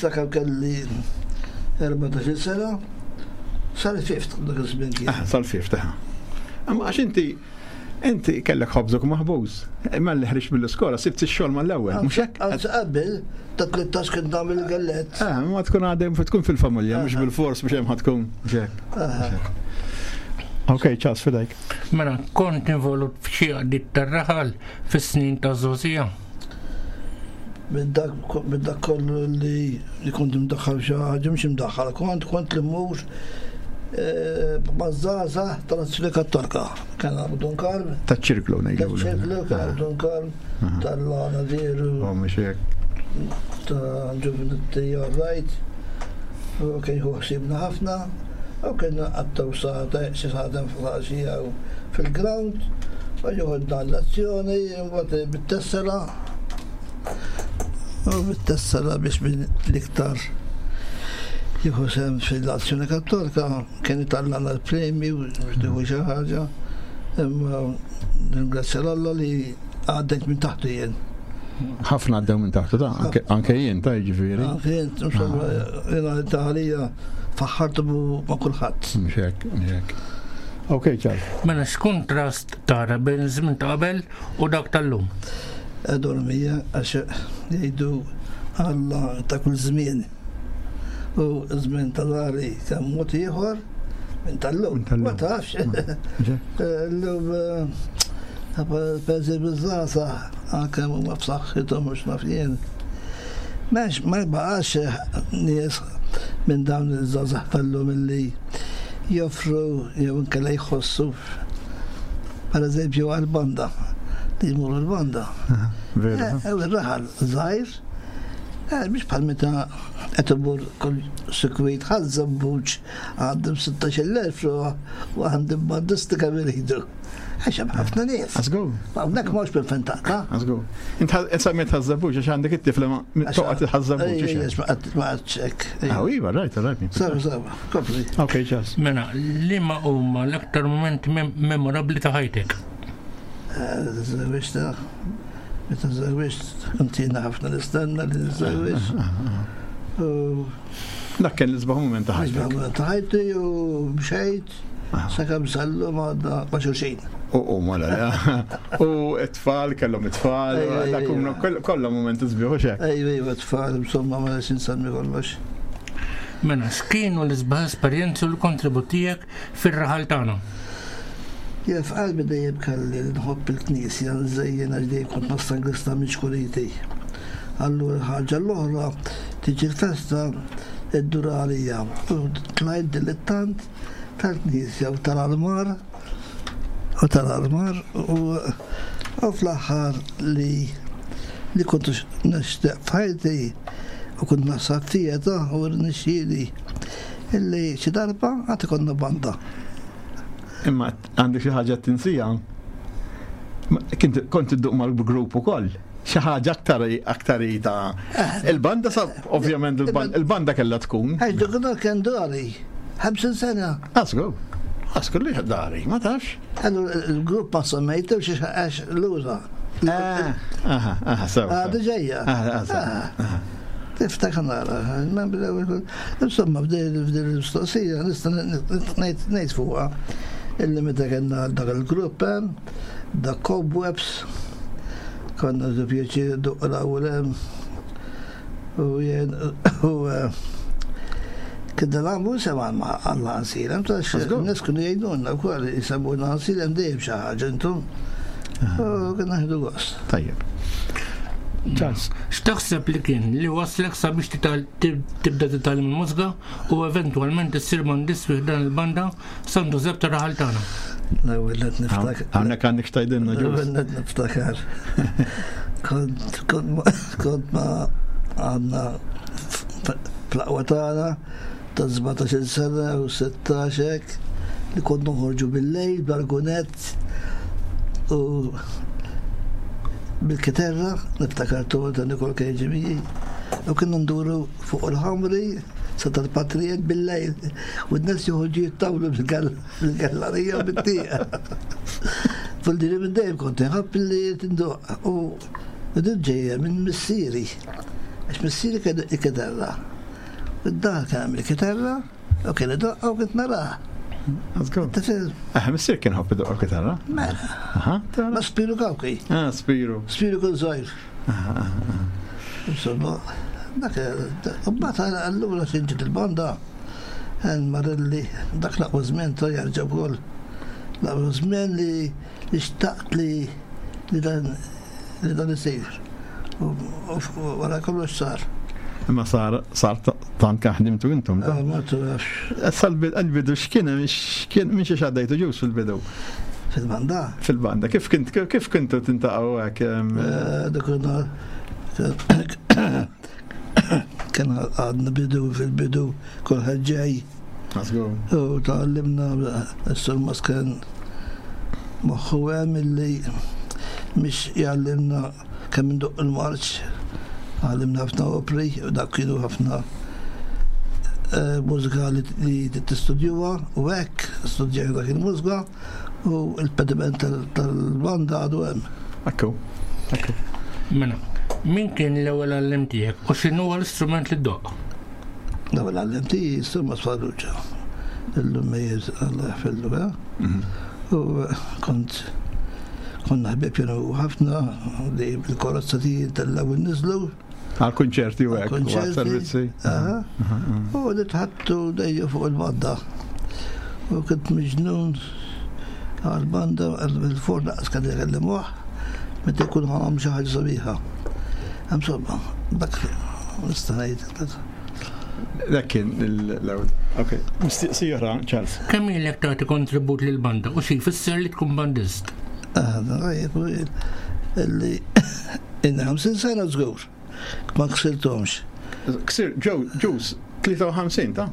sakemm kelli 14 sena sal-fifth dak iż-żmien kien. Ah, sal-fifth, eh. Imma għax inti Inti kellek ħobżok maħbuż. Imma li ħriġt mill-iskola sibt ix-xogħol mal-ewwel, mhux hekk? Anzi qabel ta' 13 kien nagħmel il-gallett. Eh, ma tkun għadem tkun fil-familja, mhux bil-fors biex hemm tkun. Mhux Ok, ċas fidejk. Mela, kont involut f'xi għaddit tar-raħal fis-snin ta' żgħożija. Minn dak kollu li li kont imdaħħal xi ħaġa mhux imdaħħal, kont kont li mmur eh, maż-żgħażagħ tal-Azzjoni Kattolika. Kien għabu Dun Karm. Taċ-ċirklu ngħidu. Taċ-ċirklu kien għabu Dun Karm tal-għana veru. Oh, mhux hekk. Ta' ġuvinotti rajt. U kien jieħu ħsiebna ħafna. U kien għattaw saħta, xi saħta fil-ħaxija fil-ground. U jieħodna l-azzjoni, mbagħad bit-tessera. U bit-tessera biex min l-iktar jieħu sehem fil-Azzjoni Kattolika kien itallana l-premju biex tieħu xi ħaġa. Imma ringrazzja l-Alla li għaddejt minn taħtu jien. Ħafna għaddew minn taħtu ta' anke jien ta' jiġifieri. Anke jien, insomma, jiena ta' għalija faħħartu ma' kulħadd. Mhux hekk, mhux hekk. Ok, ċar. Mela x'kuntrast tara bejn iż-żmien ta' qabel u dak tal-lum? Enormija għax jgħidu Alla ta' kull żmien. U żmien ta' dari kemm mod ieħor minn tal-lum. Ma tafx. L-lum per eżempju żgħażagħ anke huma b'saħħithom mhux naf jien. M'hemmx ma baqax nies minn dawn iż-żgħażagħ tal-lum illi joffru jew inkella jħossu per eżempju għall-banda li jmuru l-banda. Ir-raħal żgħir mhix bħal meta qed imur kull sikwit Ħaż-Żebbuġ għandhom 16,000 ruħ u għandhom bandisti kemm iridu. Għax hemm ħafna nies. Għażgur. Hawnhekk m'hawnx minn fejn taqta'. Għażgur. Int semmejt Ħaż-Żebbuġ għax għandek it-tifla ma toqgħod il-Ħaż-Żebbuġ. Ejja, ma qgħadx hekk. Ah, iva, rajt, rajt. Sewa, sewa, kompli. Ok, ċas. Mela, liema huma l-aktar mumenti memorabbli ta' ħajtek? Żewġta, meta żewġt, kont jiena ħafna nistenna li niżżewweġ. Dak kien l-isbaħ mument ta' ħajtek. L-isbaħ mument ta' ħajti u mxejt sakemm sallum għadna ma' xulxin. U mela, u t-tfal kellhom it-tfal, dak kollha mumenti sbieħ u xek. Ejwa, ejwa, tfal, insomma ma nix insemmi kollox. Mela, x'kienu l-isbaħ esperjenzi u l-kontribut tiegħek fir-raħal tagħna? Jien f'qalbi dejjem kelli li nħobb il-Knisja, nżejjen għax dejjem kont ma' minn xkuliti. Allura l-ħaġa l-oħra tiġi l-festa iddur għalija u tlajt dilettant tal-Knisja u tal-armar u tal-armar u u fl-aħħar li li kont nixtieq f'ħajti u kont naħseb fija ta' u rnexxieli illi xi darba għad ikollna banda. Imma għandek xi ħaġa tinsija? Kont idduq mal-grupp ukoll. Xi ħaġa aktar aktar ta' eh. il-banda sa ovvjament il-banda kellha tkun. Għax dak kien dari 50 sena. Asku. Asku li dari, ma tafx. Allura il-grupp ma semmejtu xi għax lura. Eh, aha, aha, sew. Għadu ġejja. Tiftakar nara, insomma f'din il-mistoqsija nista' ngħid fuqha illi meta kellna dak il-grupp hemm, dak Cobwebs, konna nieħdu pjaċir nduqqu l-ewwel hemm u jien u kien nagħmlu sema għal ħansilem, nies kienu jgħidulna wkoll jisemmuna ħansilem dejjem xi ħaġa intom. U kien nieħdu gost. Tajjeb. Charles, x'taħseb li kien li waslek sabiex tibda titgħallem il-mużika u eventwalment issir bandist fi ħdan il-banda San Ġużepp ta' Raħal tagħna? L-ewwel qed niftakar. Hawnhekk għandek x'tgħidilna ġus. L-ewwel qed niftakar. Kont kont ma għandna fl-aqwa tagħna ta' 17 sena u 16 hekk li kont noħorġu bil-lejl bl-argunett u bil-kiterra, niftakar tu ta' Nikol kien u kienu nduru fuq il-ħamri sa tal-patrijiet bil-lejl u n-nies joħorġu jittawlu bil-gallarija u bit-tieqa. Fil-diri minn dejjem kont inħobb li tindoq u din ġejja minn missieri. Għax missieri kien il-kiterra. Id-dar kien hemm il-kitarra u kien idoqqa u kont narah. Let's go. Eh, missier kien ħobb idoqqa kitarra. Mela. Ma Spiru Kawki. Ah, Spiru. Spiru kien żgħir. Insomma, dak mbagħad allura xi il-banda Marilli dak l-aqwa żmien ta' jerġa' wkoll. L-aqwa żmien li xtaqt li dan li dan isir. U wara kollox sar. Imma sar sar tant kemm ħdimtu intom. Ah, ma tafx. Issa l-bidu x'kien x'kien minn xi xaddejtu ġus fil-bidu? Fil-banda? Fil-banda. Kif kint kif kintu tintaqgħu hekk? Eh, dak kien għadna bidu fil-bidu kulħadd ġej. U tgħallimna s-sur Masken moħħu hemm illi mhix jgħallimna kemm indoq il-marċ. Għallimna ħafna opri, u dak kienu ħafna eh, mużika li tistudjuha u hekk studjajna dak il-mużika u l-pediment tal-banda għadu hemm. Ekku, ekku. Mela, min kien l-ewwel għallem tiegħek u x'inhu l-istrument li ddoqq? L-ewwel għallem tiegħi Surmas Farrugia. Illum mejjeż Allah jaħfirlu, eh? Mhm. U eh, kont konna ħbieb jenu ħafna li bil-karozza tiegħi tellaw niżlu. Għal kunċerti u hekk, għal servizzi. U li tħattu dejjem fuq il-banda. U kont miġnun għal-banda il-forn laqas kan jkellimuh meta jkun ħamam xi ħaġa sabiħa. Insomma, dak nista' ngħid. Dak kien l-ewwel. Ok, mistiqsija oħra, Charles. Kemm ilek tagħti kontribut lill-banda u xi jfisser li tkun bandist? Ah, li Inni 50 sena żgur. Ma ksirthomx. Ksir, ġew, ġuż, 53 ta'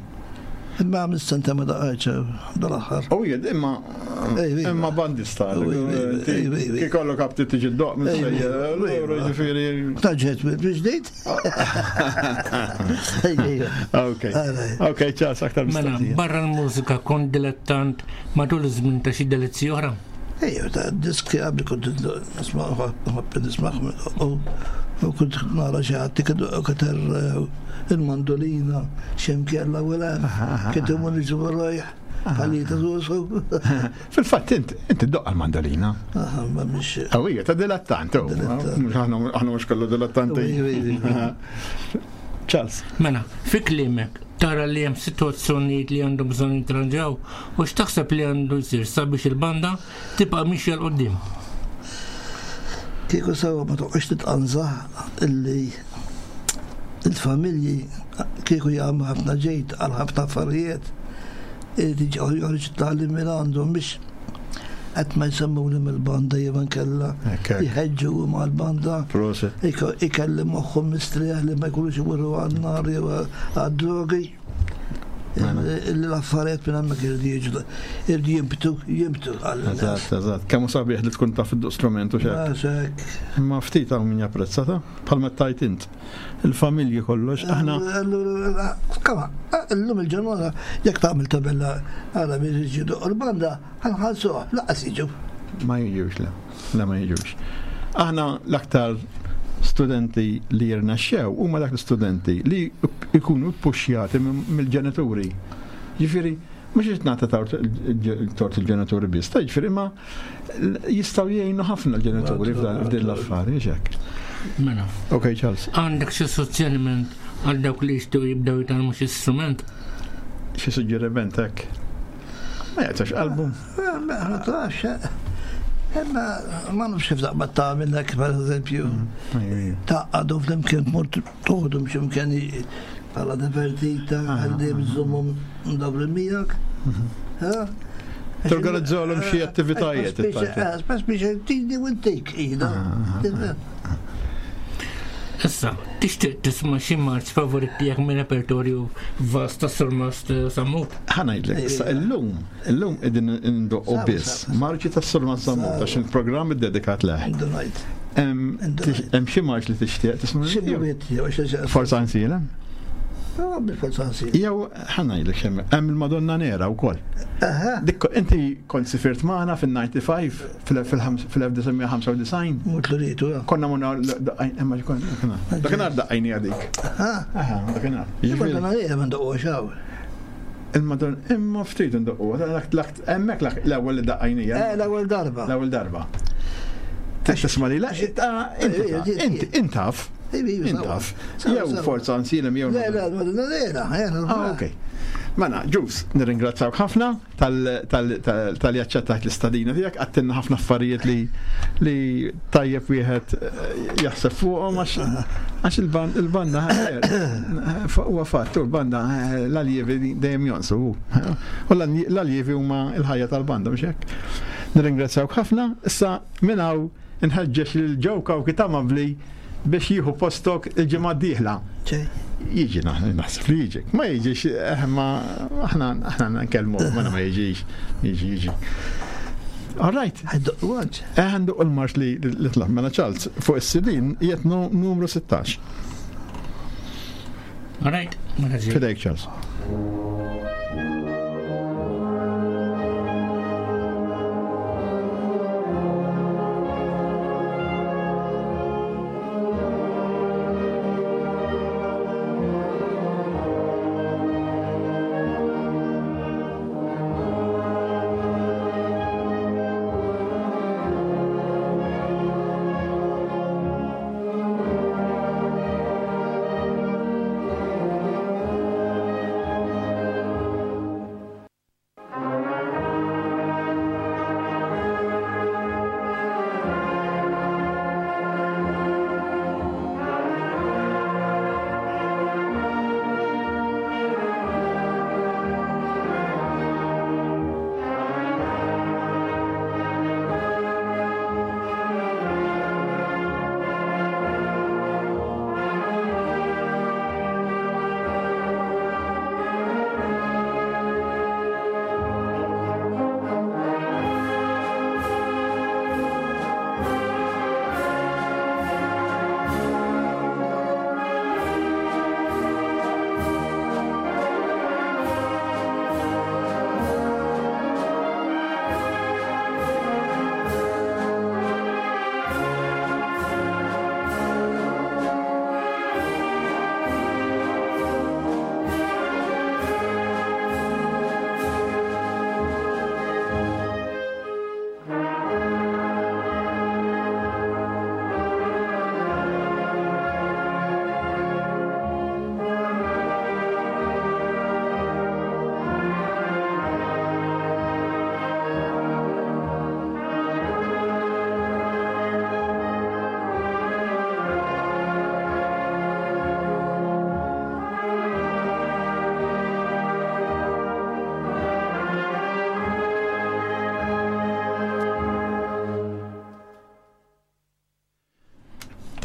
Imma għamil senta ma daqajċa dal-aħħar. U jed, imma imma bandista. Kikollu kapti tiġi d-doq minn sejjer. Ġifieri. Taġġet bil-ġdid. Ok. Ok, ċas aktar Mela, mistoqsija. barra l-mużika kont dilettant matul iż-żmien ta' xi delizzi oħra. Ejja, ta' diski għabli kont nisma' nħobb nismagħhom u kont nara xi ħadd ikater il-mandolina x'imkien l-ewwel kien imur niġu warajh ħalli ta' Fil-fatt int inti ddoqqa l-mandolina. Ma mhix. Qawwija ta' dilettant. Aħna mhux kollu dilettanti. Charles. Mela, fi kliemek, tara li hemm sitwazzjonijiet li għandhom bżonn jitranġaw u x'taħseb li għandu jsir sabiex il-banda tibqa' mixja 'l quddiem? Kieku sewwa ma toqgħodx titqanżah illi il-familji kieku jagħmlu ħafna ġid għal ħafna affarijiet irid joħroġ it-tagħlim minn għandhom biex qed ma jsemmuli mill-banda jew inkella jħeġġu mal-banda. Ikelli moħħhom mistrieħ li ma jkunux imorru għan-nar jew għad-drogi. Mela. L-affarijiet minn hemmhekk irridu jiġu irridu jimbtu, jimbtu għal. Eżatt, eżatt. Kemm hu sabiħ li tkun taf id-strument u xek. Imma ftit hawn min japprezza ta' bħalma tajt int. Il-familji kollox, aħna. Kama, illum il-ġurnata jekk tagħmel tabella għala biex jiġu l-banda, ħanħallsuha, laqas jiġu. Ma jiġux le, le ma jiġux. Aħna l-aktar studenti li jirnexxew huma dak l-istudenti li jkunu ppuxjati mill-ġenituri. Ġifieri, mhux qed nagħti tort il-ġenituri biss, ta' ġifieri ma jistgħu jgħinu ħafna l-ġenituri f'din l-affari, hekk. Mela. Ok, Charles. Għandek xi suġġeriment għal dawk li jixtiequ jibdew jitgħallmu xi strument? Xi suġġeriment hekk? Ma jaqtax qalbu. Ma tafx, imma ma nafx kif taqbad tagħmel hekk pereżempju. Mm, Taqgħadu flimkien tmur toħdu x'imkien bħala divertita għalli bżommhom mdawrin miegħek. Mhm. Torganizzawlhom xi attivitajiet. Spess biex tini u ntik ida. Issa, tixtieq tisma' xi marċ favorit tiegħek minn repertorju vast ta' Surmast Sammut? Ħa ngħidlek, issa illum, illum qegħdin indoqqu biss marċi ta' Surmast Sammut għax il-programm iddedikat leh. Hemm xi marċ li tixtieq tisma'? Forza Ansilem? Forza Ansilem. Jew ħa ngħidlek x'hemm, hemm il-Madonna Nera wkoll. Dik inti kont sifirt magħna fin-95 fil-1995. Mut l-ritu, Konna monna imma konna. Dakinhar daqqajni għadik. Aha, dakinhar. Il-Madonna Nera ma ndoqqu xaw. Il-Madonna, imma ftit ndoqqu, hemmhekk l-ewwel li daqqajnija. Eh, l-ewwel darba. L-ewwel darba. Tisma' li la, inti intaf. Intaf. Jew forza nsilem jew. Le, le, Madonna Nera. Ah, ok. Mela, ġus, nirringrazzawk ħafna. tal-li aċċettajt l-istadina tiegħek, għattinna ħafna affarijiet li li tajjeb wieħed eh, jaħseb fuqhom għax il-banda eh, huwa fatt u l-banda eh, l-aljevi dejjem jonsu. U l-aljevi huma l-ħajja tal-banda mhux hekk. Nirringrazzjawk ħafna, issa minn hawn Inħeġġeġ lil Joe Cauchi ta' Mavli biex jieħu postok il-ġimgħa d-dieħla. Jiġi naħseb li jiġi. Ma jiġix, eh, ma aħna aħna nkellmu, ma ma jiġix. Jiġi, jiġi. All right. Eh, għandu il-marx li li tlaq mela Charles fuq is-sidin jiet numru 16. Alright, mela Fidejk Charles.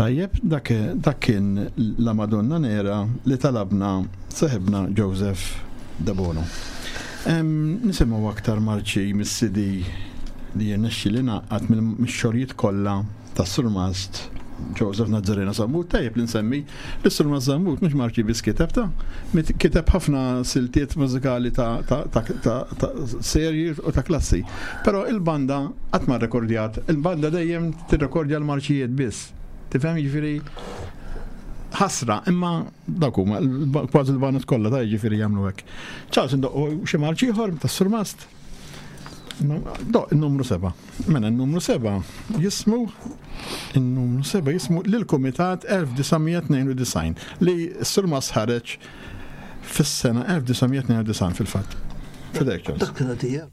Tajjeb, dak, dak kien la Madonna Nera li talabna seħibna Joseph Debono. Nisimgħu aktar marċi mis-CD li jirnexxi li naqqat mill-xogħlijiet kollha tas-Surmast Joseph Nazzarena Sammut, tajjeb li nsemmi li Surmast Sammut mhux marċi biss kiteb ta' kiteb ħafna siltiet mużikali ta', ta, ta, ta, ta serji u ta' klassi. Però il-banda qatt ma rrekordjat, il-banda dejjem tirrekordja l-marċijiet biss. Tifhem jiġifieri ħasra, imma dak huma kważi l-banat kollha ta' jiġifieri jagħmlu hekk. Charles indoqqu xi marċ ieħor tas-Surmast. Do, il-numru 7. Mela, il-numru 7 jismu il-numru 7 jismu lill-Kumitat 1992 li s-Surmast ħareġ fis-sena 1992 fil-fatt. Fidejk, Charles. Dak kienet hija.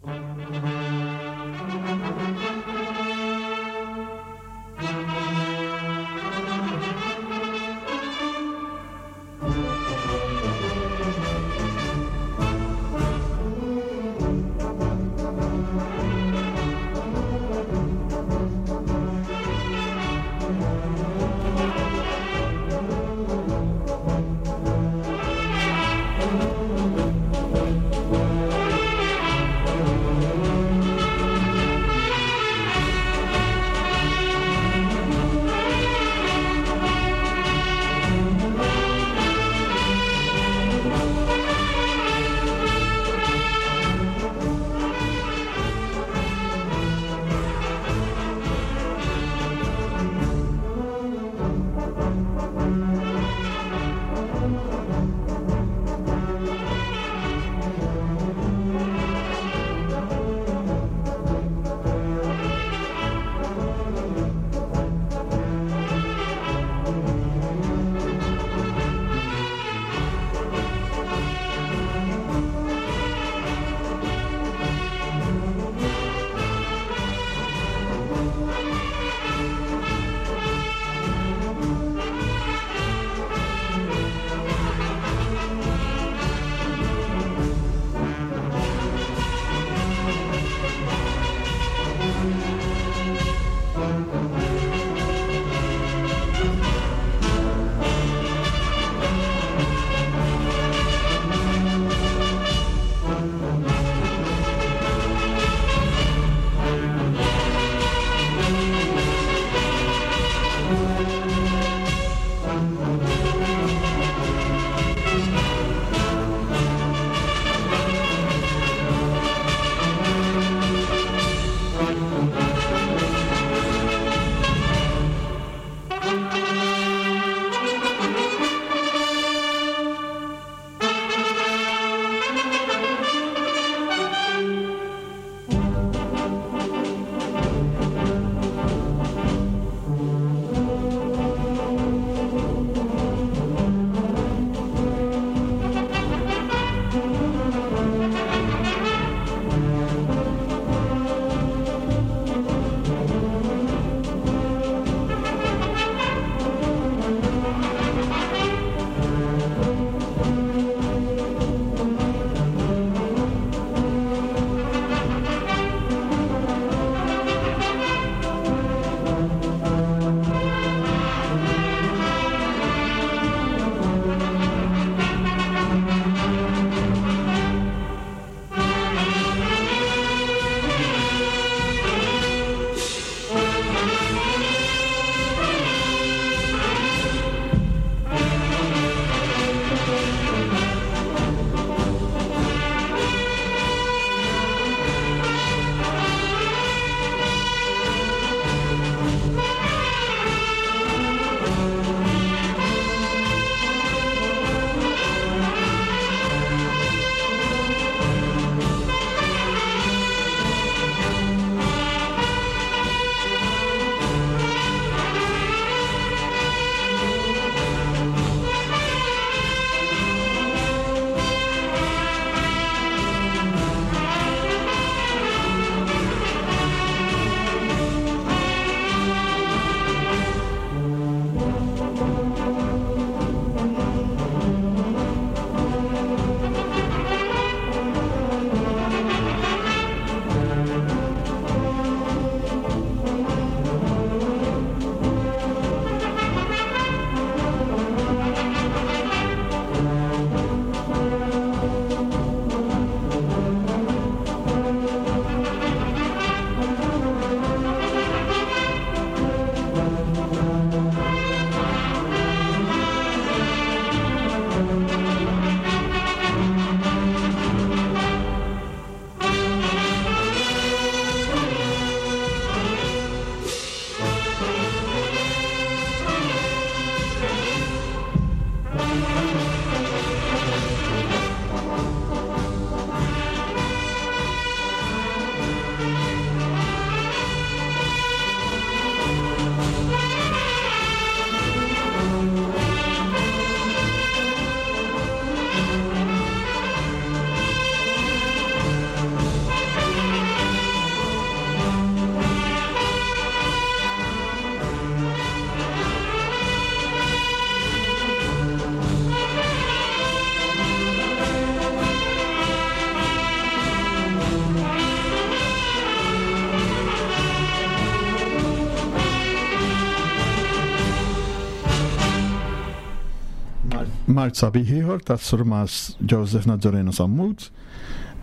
Marċ sabiħ ieħor ta' Surmas Joseph Nazzareno Sammut.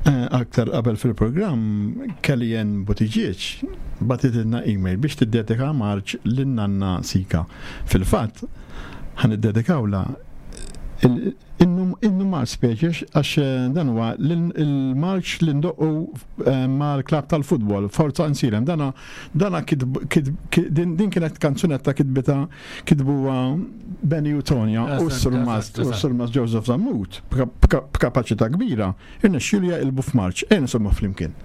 Eh, aktar qabel fil-programm Kellyanne Buttigieg batitilna email biex tiddedika marċ lin-nanna Sika. Fil-fatt, ħan iddedikawla innu marċ speċi għax eh, dan huwa il-marċ li ndoqqu eh, mal-klab tal-futbol, Forza Nsilem. Dana dana din kienet kanzunetta kitbita kitbuha Benny u Tonja u s-Surmas Joseph Zammut b'kapaċità kbira irnexxielu jaqilbu f'marċ. Ejja nisimgħu flimkien.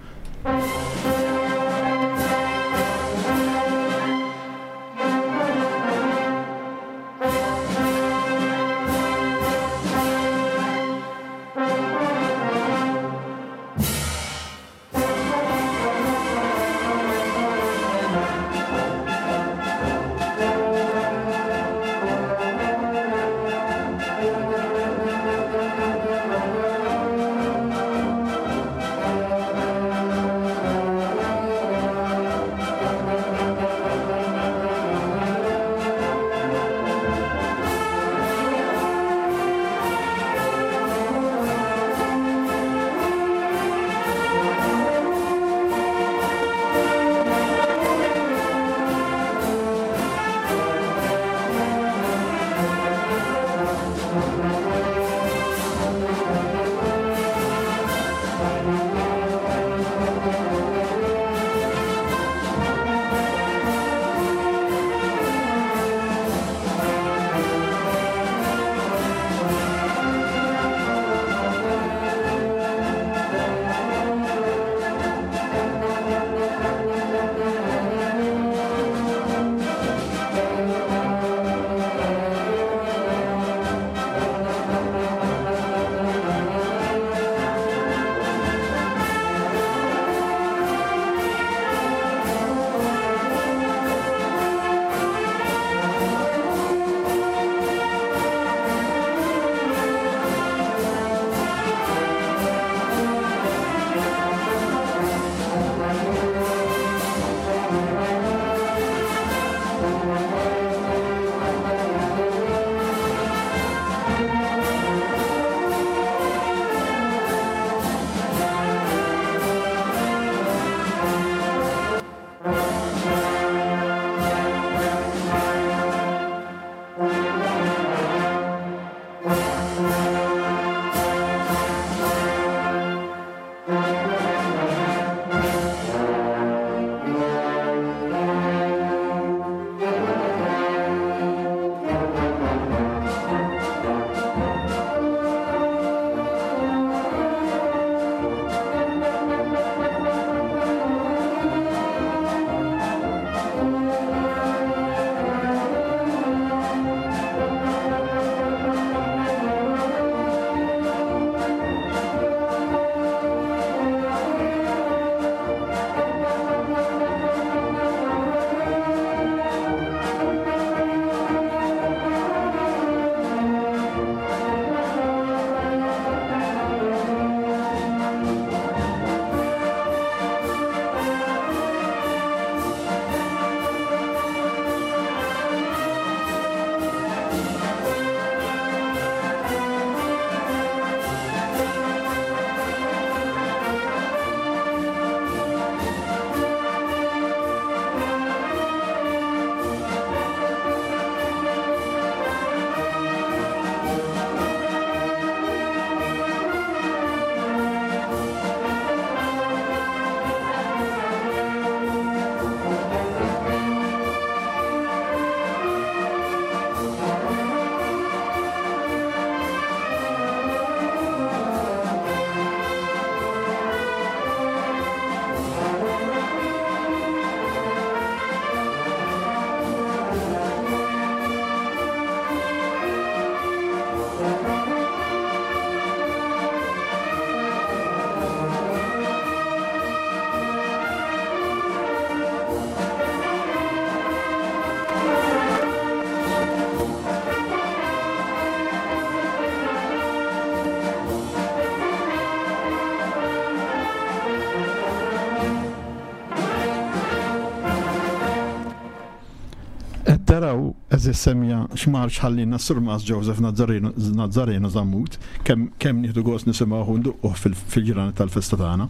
Taraw, għeżież semmiegħa, x'marċ ħallielna s-Surmast Joseph Nazzareno Zammut, kemm kemm nieħdu gost nisimgħuh u nduqquh fil-ġranet tal-festa tagħna.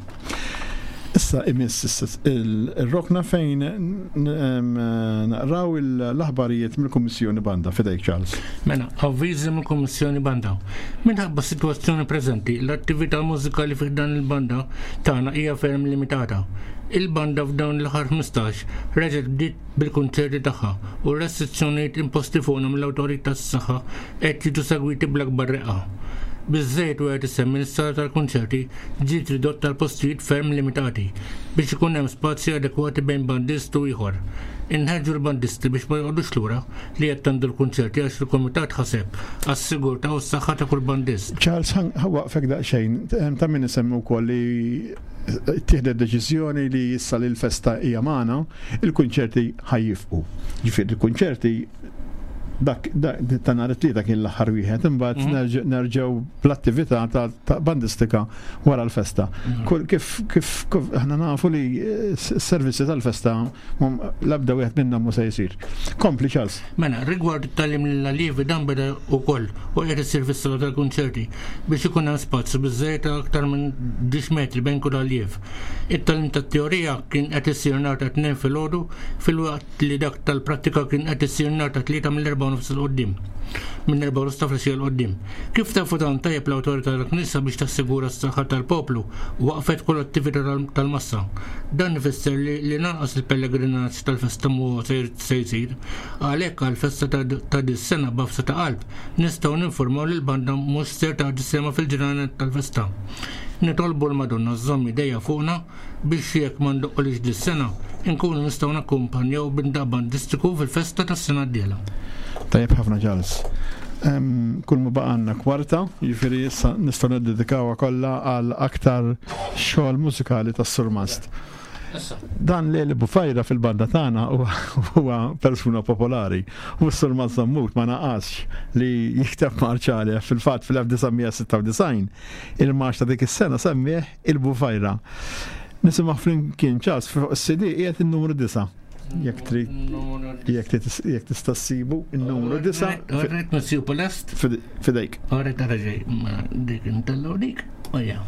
Issa imiss ir-rokna fejn naqraw l-aħbarijiet mill-Kummissjoni Banda. Fidejk Charles. Mela, avviżi mill-Kummissjoni Banda. Minħabba s-sitwazzjoni preżenti, l-attività mużikali fi dan il-banda tagħna hija ferm limitata. Il-banda f'dawn l-aħħar 15 reġgħet bdiet bil-kunċerti tagħha u r-restrizzjonijiet imposti fuqna mill-awtorità tas-saħħa qed jiġu segwiti bl-akbar reqqa. Biżżejjed wieħed isemmi li s-sala tal-kunċerti ġiet ridotta għal postijiet ferm limitati biex ikun hemm spazji adekwati bejn bandist u ieħor. Inħeġġu l-bandisti biex ma joqogħdux lura li jattendu l-kunċerti għax il-kumitat ħaseb għas-sigurtà u s-saħħa ta' kull bandist. Charles, ħa waqfek daqsxejn. Ta' min isemmi wkoll li ttieħdet deċiżjoni li issa li l-festa hija magħna, il-kunċerti ħa jifqu. Ġifieri il-kunċerti dak ta' nhar it-tlieta kien l-aħħar wieħed, imbagħad mhm. nerġgħu bl-attività ta' bandistika wara l-festa. Mhm. Kif kif aħna nafu li s-servizzi tal-festa l-ebda wieħed minnhom mhu se jsir. Kompli Charles. Mela, rigward it-tagħlim lill-allievi dan beda wkoll u qiegħed isir fis-sala tal-kunċerti biex ikun hemm spazju biżżejjed ta' aktar minn 10 metri bejn kull alliev. It-tagħlim tat-teorija kien qed isir nhar ta' Tnejn filgħodu filwaqt li dak tal-prattika kien qed isir nhar ta' Tlieta mill-erbgħa u nofs 'il quddiem. Minn erbgħa u nofs ta' filgħaxija 'l quddiem. Kif tafu tant tajjeb l-awtorità tal-Knisja biex tassigura s-saħħa tal-poplu waqqfet kull attività tal-massa. Dan ifisser li li lanqas il-pellegrinaġġ tal-festa mhu se se jsir. Għalhekk għall-festa ta' dis-sena b'għafsa ta' qalb nistgħu ninfurmaw li l-banda mhux ser tagħti sehemha fil-ġranet tal-festa. Nitolbu l-Madonna żżomm idejha fuqna biex jekk ma ndoqqulix dis-sena, inkunu nistgħu nakkumpanjaw b'indaq bandistiku fil-festa tas-sena d-dieħla. Tajjeb ħafna Charles. Kull ma baqgħalna kwarta, jiġifieri issa nistgħu niddedikawha kollha għal aktar xogħol mużikali tas-Surmast. Dan Leli Bufajra fil-banda tagħna huwa persuna popolari u s-Sur Mażammut ma naqasx li jikteb marċ għalih. Fil-fatt fil-1996 il-marċ ta' dik is-sena semmih il-Bufajra. Nisimgħu flimkien ċas fuq is-CD qiegħed in-numru 9. Jekk trid jekk tista' ssibu in-numru 9. Orret nsibu lest. Fidejk. Orret ġej dik intellgħu dik. Ojja.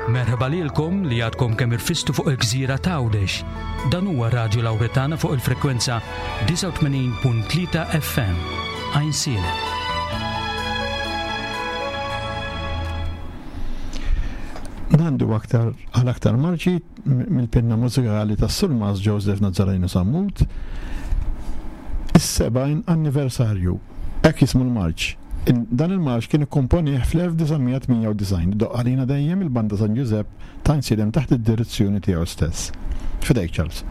Merħba lilkom li għadkom kemm irfistu fuq il-gżira t'Għawdex. Dan huwa Radju Lawretana fuq il-frekwenza 89.3 FM. Għajnsielem. Nandu aktar għal aktar marċi mill-pinna mużikali tas-Surmas Joseph Nazzareno Sammut is-70 anniversarju. Hekk jismu l-marċ. Dan il-marċ kien ikkomponih fl-1998 doqq għalina dejjem il-Banda San Ġużepp ta' Għajnsielem taħt id-direzzjoni tiegħu stess. F'idejk Charles.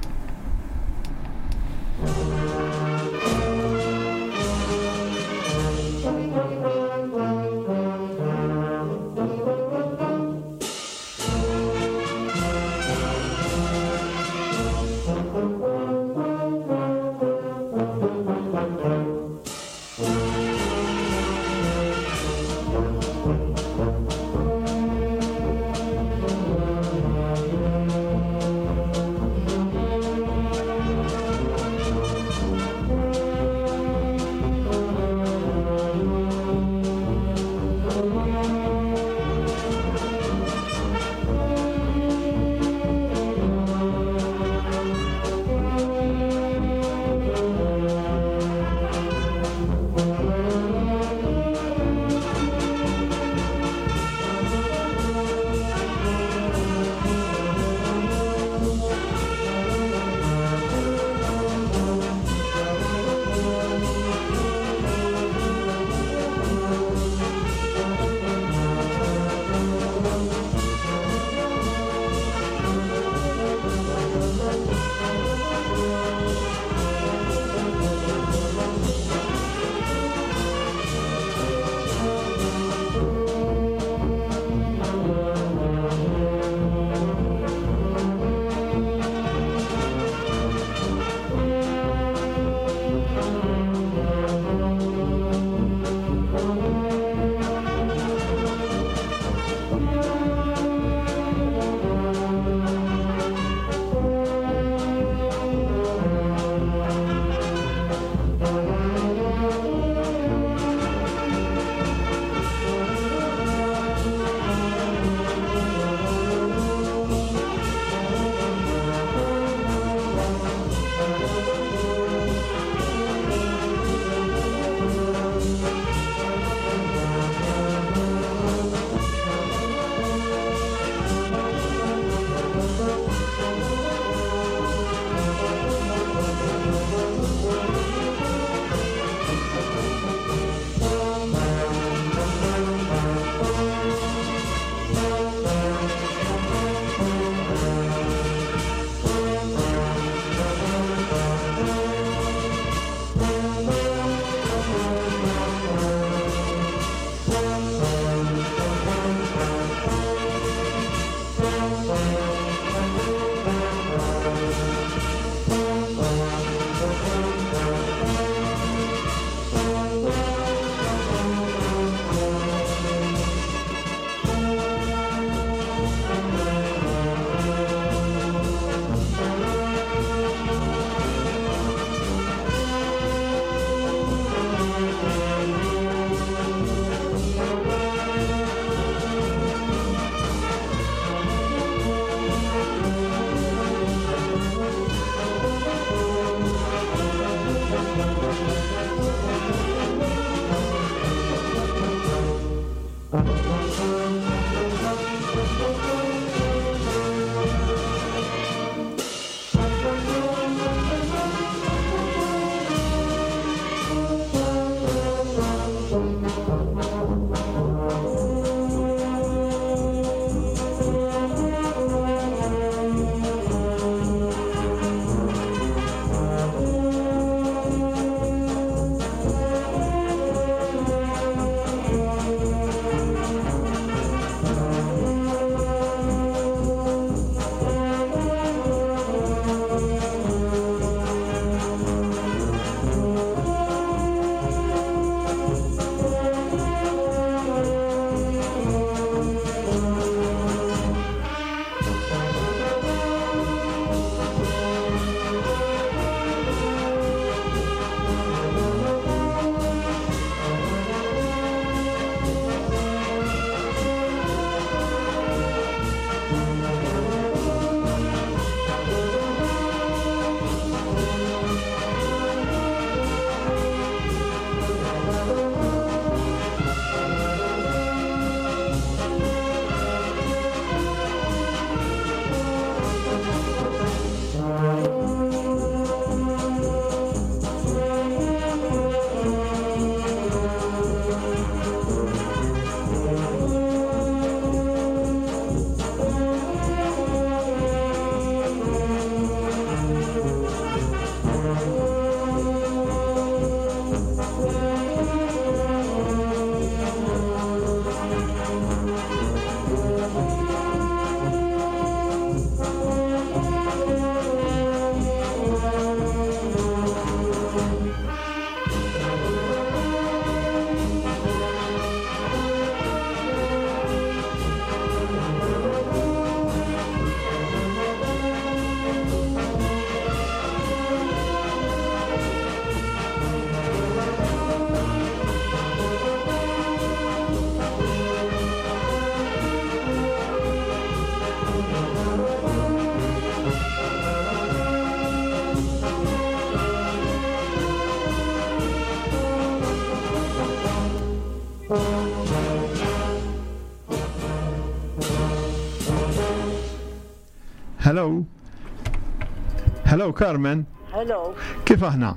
Hello Carmen. Hello. Kif aħna?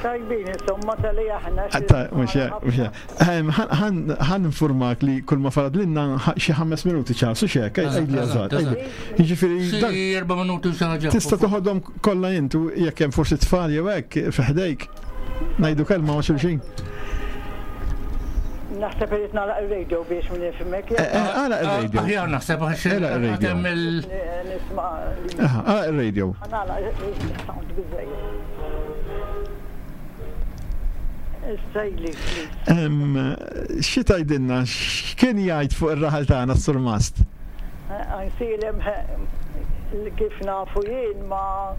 Tajbin, insomma, tal-li aħna. Mux mux Ħan informak li kull ma farad l-inna xi ħammes minuti ċarsu xek, għajdi għazat. Ġifiri. Xi erba minuti xaħġa. Tista toħodhom kollha intu jekk hemm forsi tfal jew hekk fi ħdejk. Ngħidu kelma ma' xulxin. Naħseb irid nagħlaq ir-radio biex min nifhmek. Eh, eh, għalaq ir-radio. Aħjar naħseb għax Għalaq ir-radio. Nisma' Għalaq ir-radio. Nagħlaq is-sound biżejjed. Xi tgħidilna x'kien jgħid fuq ir-raħal tagħna s-Surmast? Għajnsielem kif nafu jien ma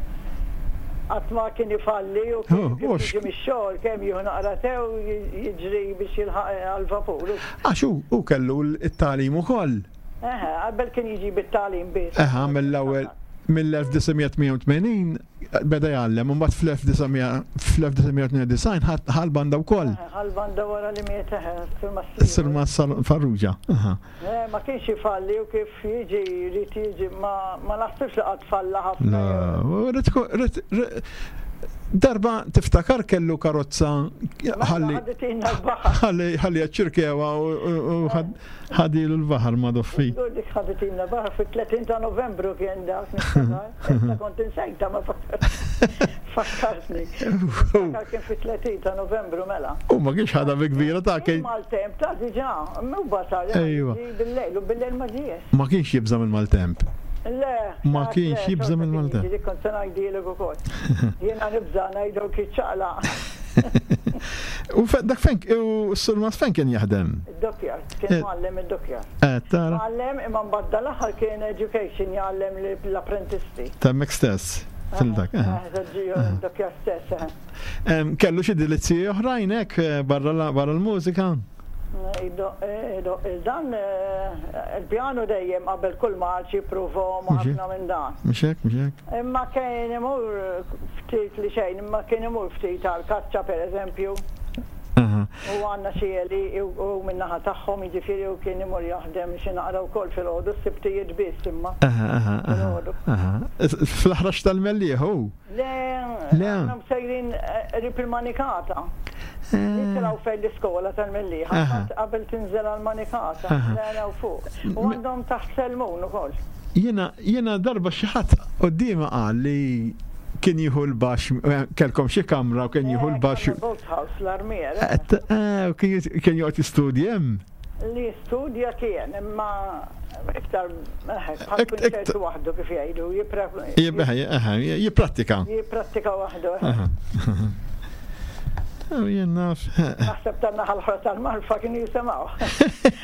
qatt ma kien ifalli u kien jiġi mix-xogħol kemm jieħu naqra tew jiġri biex jilħaq għall-vapur. Għax hu kellu t-tagħlim ukoll. Eħe, qabel kien jiġi bit-tagħlim biss. Eħe, mill-ewwel mill-1988 beda jgħallem, u mbagħad fl-1992 ħa l-banda wkoll. Ħa l-banda wara li miet eħe, Is-Surmast Farrugia. Ma kienx ifalli u kif jiġi jrid jiġi ma naħsibx li qatt falla ħafna. Darba tiftakar kellu karozza ħalli ħalli ċirkewa u ħadilu l-baħar ma doffi. Dik ħaditilna l-baħar fit-30 ta' Novembru kien dak niftakar. Issa kont insejta ma fakkartni. Niftakar kien fit-30 ta' Novembru mela. U ma kienx ħadha bi kbira ta' kien. Maltemp ta' diġà, mhu basal. Ejwa. Bil-lejl u bil-lejl ma ġiex. Ma kienx jibża' mill-maltemp. Le. Ma kienx jibża' mill-maltemp. Dik kont se ngħidilek ukoll. Jiena nibża' ngħidu kiċċaqla. U dak fejn u s-surmas fejn kien jaħdem? Id-dockyard, kien eh. mgħallem id-dockyard. Eh, tara. Mgħallem imma mbagħad dal-aħħar kien education jgħallem l-apprentisti. Temmek stess. Fil-dak. Eh, id-dockyard stess. Kellu xi delizzji oħrajn hekk barra l-mużika? Dan il-pjanu dejjem qabel kull marċ jippruvhom ħafna minn dan. Mhux hekk, mhux hekk. Imma kien imur ftit li xejn, imma kien imur ftit għal kaċċa pereżempju. U għandna xi għelieqi u min-naħa tagħhom jiġifieri u kien imur jaħdem xi naqra wkoll filgħodu, s-Sibtijiet biss imma. Filgħodu. Fl-aħrax tal-Mellieħ hu? Le, Le. Aħna sejrin qrib il-Manikata. Nitilgħu fejn l-iskola tal-Mellieħa, qabel tinżel għall-Manikata, naraw fuq. U għandhom taħt Selmun ukoll. Jiena jiena darba xi ħadd quddiemi qal li kien jieħu l-baxx, eh, kellkom xi kamra u kien jieħu l-baxx. Eh, Boathouse, l-armier. Eh, eh, kien joqgħod jistudja hemm. Li jistudja kien, imma iktar bħal kunċert waħdu kif jgħidu, jipprattika. Jipprattika waħdu. Jien naf. Naħseb tan-naħa l-oħra tal-marfa kienu jisimgħu.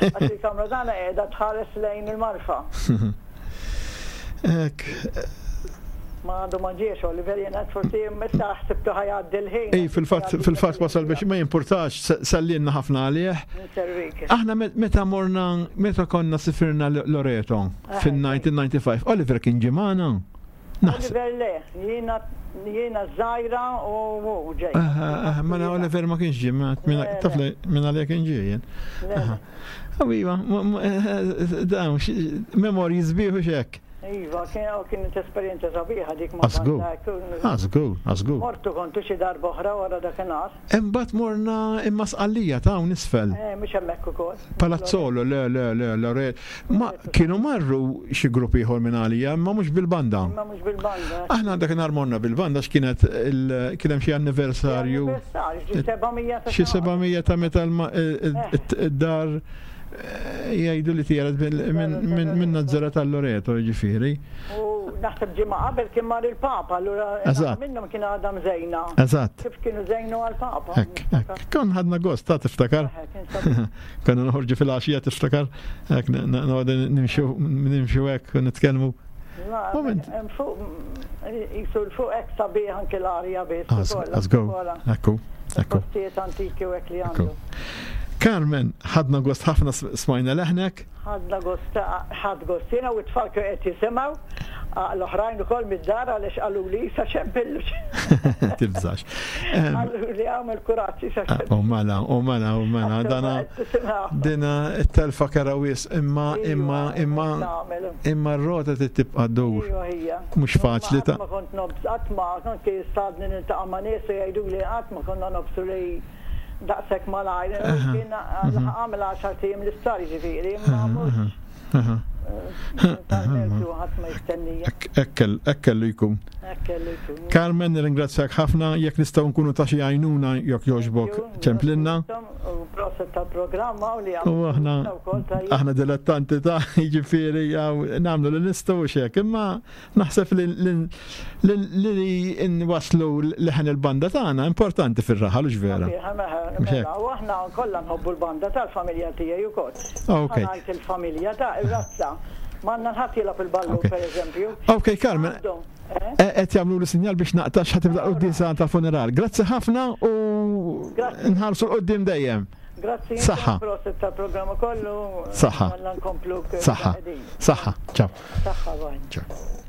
Għax il-kamra tagħna qiegħda tħares lejn il-marfa. Ek. Ma għadu ma ġiex, Oliver, jena forsi meta ħsibtu ħajgħaddi l-ħin. Ej, fil-fatt fil-fatt wasal biex ma jimpurtax, sallinna ħafna għalih. Aħna meta morna, meta konna sifirna Loreto fil-1995, Oliver kien ġimana. Oliver le, jiena jiena żgħira u hu ġej. Mela Oliver ma kienx ġie, taf li minn għalija kien ġie jien. Iva, dawn, memorji sbieħ u xek. Iva, kienet esperjenza sabiħa dik ma' Għażgur, għażgur, għażgur. Mortu kontu xi darba oħra wara dakinhar. Imbagħad morna imma Sqallija ta' hawn isfel. Eh, mhux hemmhekk ukoll. Palazzolo, le, le, le, le, Ma kienu marru xi grupp ieħor minn għalija, imma mhux bil-banda. Imma mhux bil-banda. Aħna dakinhar morna bil-banda x'kienet kien hemm xi anniversarju. Xi 700 ta' Xi 700 ta' meta d-dar eh, jgħidu li tiegħet minn Nazzara tal-Loreto, jiġifieri. U naħseb ġimgħa qabel kien mar il-Papa, allura minnhom kien għadha mżejna. Eżatt. Kif kienu żejnu għall-Papa. Hekk, hekk. Kon ħadna gost, ta' tiftakar. Konna noħorġu fil-għaxija tiftakar, hekk noqogħdu nimxu nimxu hekk u nitkellmu. Moment. Fuq jisu l-fuq hekk sabiħ anke l-arja biss. Għażgur, ekku, ekku. Postijiet antiki u hekk li għandu. Carmen, ħadna gost ħafna smajna leħnek. Ħadna gost, ħadd gost jiena u t-tfal kienu qed jisimgħu. L-oħrajn ukoll mid-dar għaliex qaluli sa xempillu. Tibżax. Qaluli għamel kuraġġ sa xempillu. U mela, u mela, u mela, dana dina t-telfa kera wis imma imma imma imma r-rota tibqa' ddur. Mhux faċli ta' Ma kont nobs qatt ma anke sadni niltaqa' ma' nies u jgħiduli qatt ma konna nobsu li daqshekk malajr. Kien għamel għaxar ijiem l-isptar jiġifieri, imma mhux. Hekk kellu jkun. Carmen, nirringrazzjak ħafna, jekk nistgħu nkunu ta' xi għajnuna jekk jogħġbok ċemplinna. U aħna aħna dilettanti ta' jiġifieri nagħmlu li nistgħu u xek, imma Naħseb li li nwaslu leħen il-banda tagħna importanti fir-raħal hux vera? Mela, u aħna kollha nħobbu l-banda tal-familja tiegħi wkoll. Ok. Ngħid il-familja ta' ir-razza. M'għandna ħadd jilgħab il-ballu pereżempju. Ok, Carmen. Eh? Qed jagħmlu li sinjal biex naqtax ħa tibda quddiesa tal-funeral. Grazzi ħafna u nħarsu l-qudiem dejjem. Grazzi. Saħħa. Prosit tal-programma kollu. Saħħa. Saħħa. Saħħa. Ciao. Saħħa, bye. Ciao.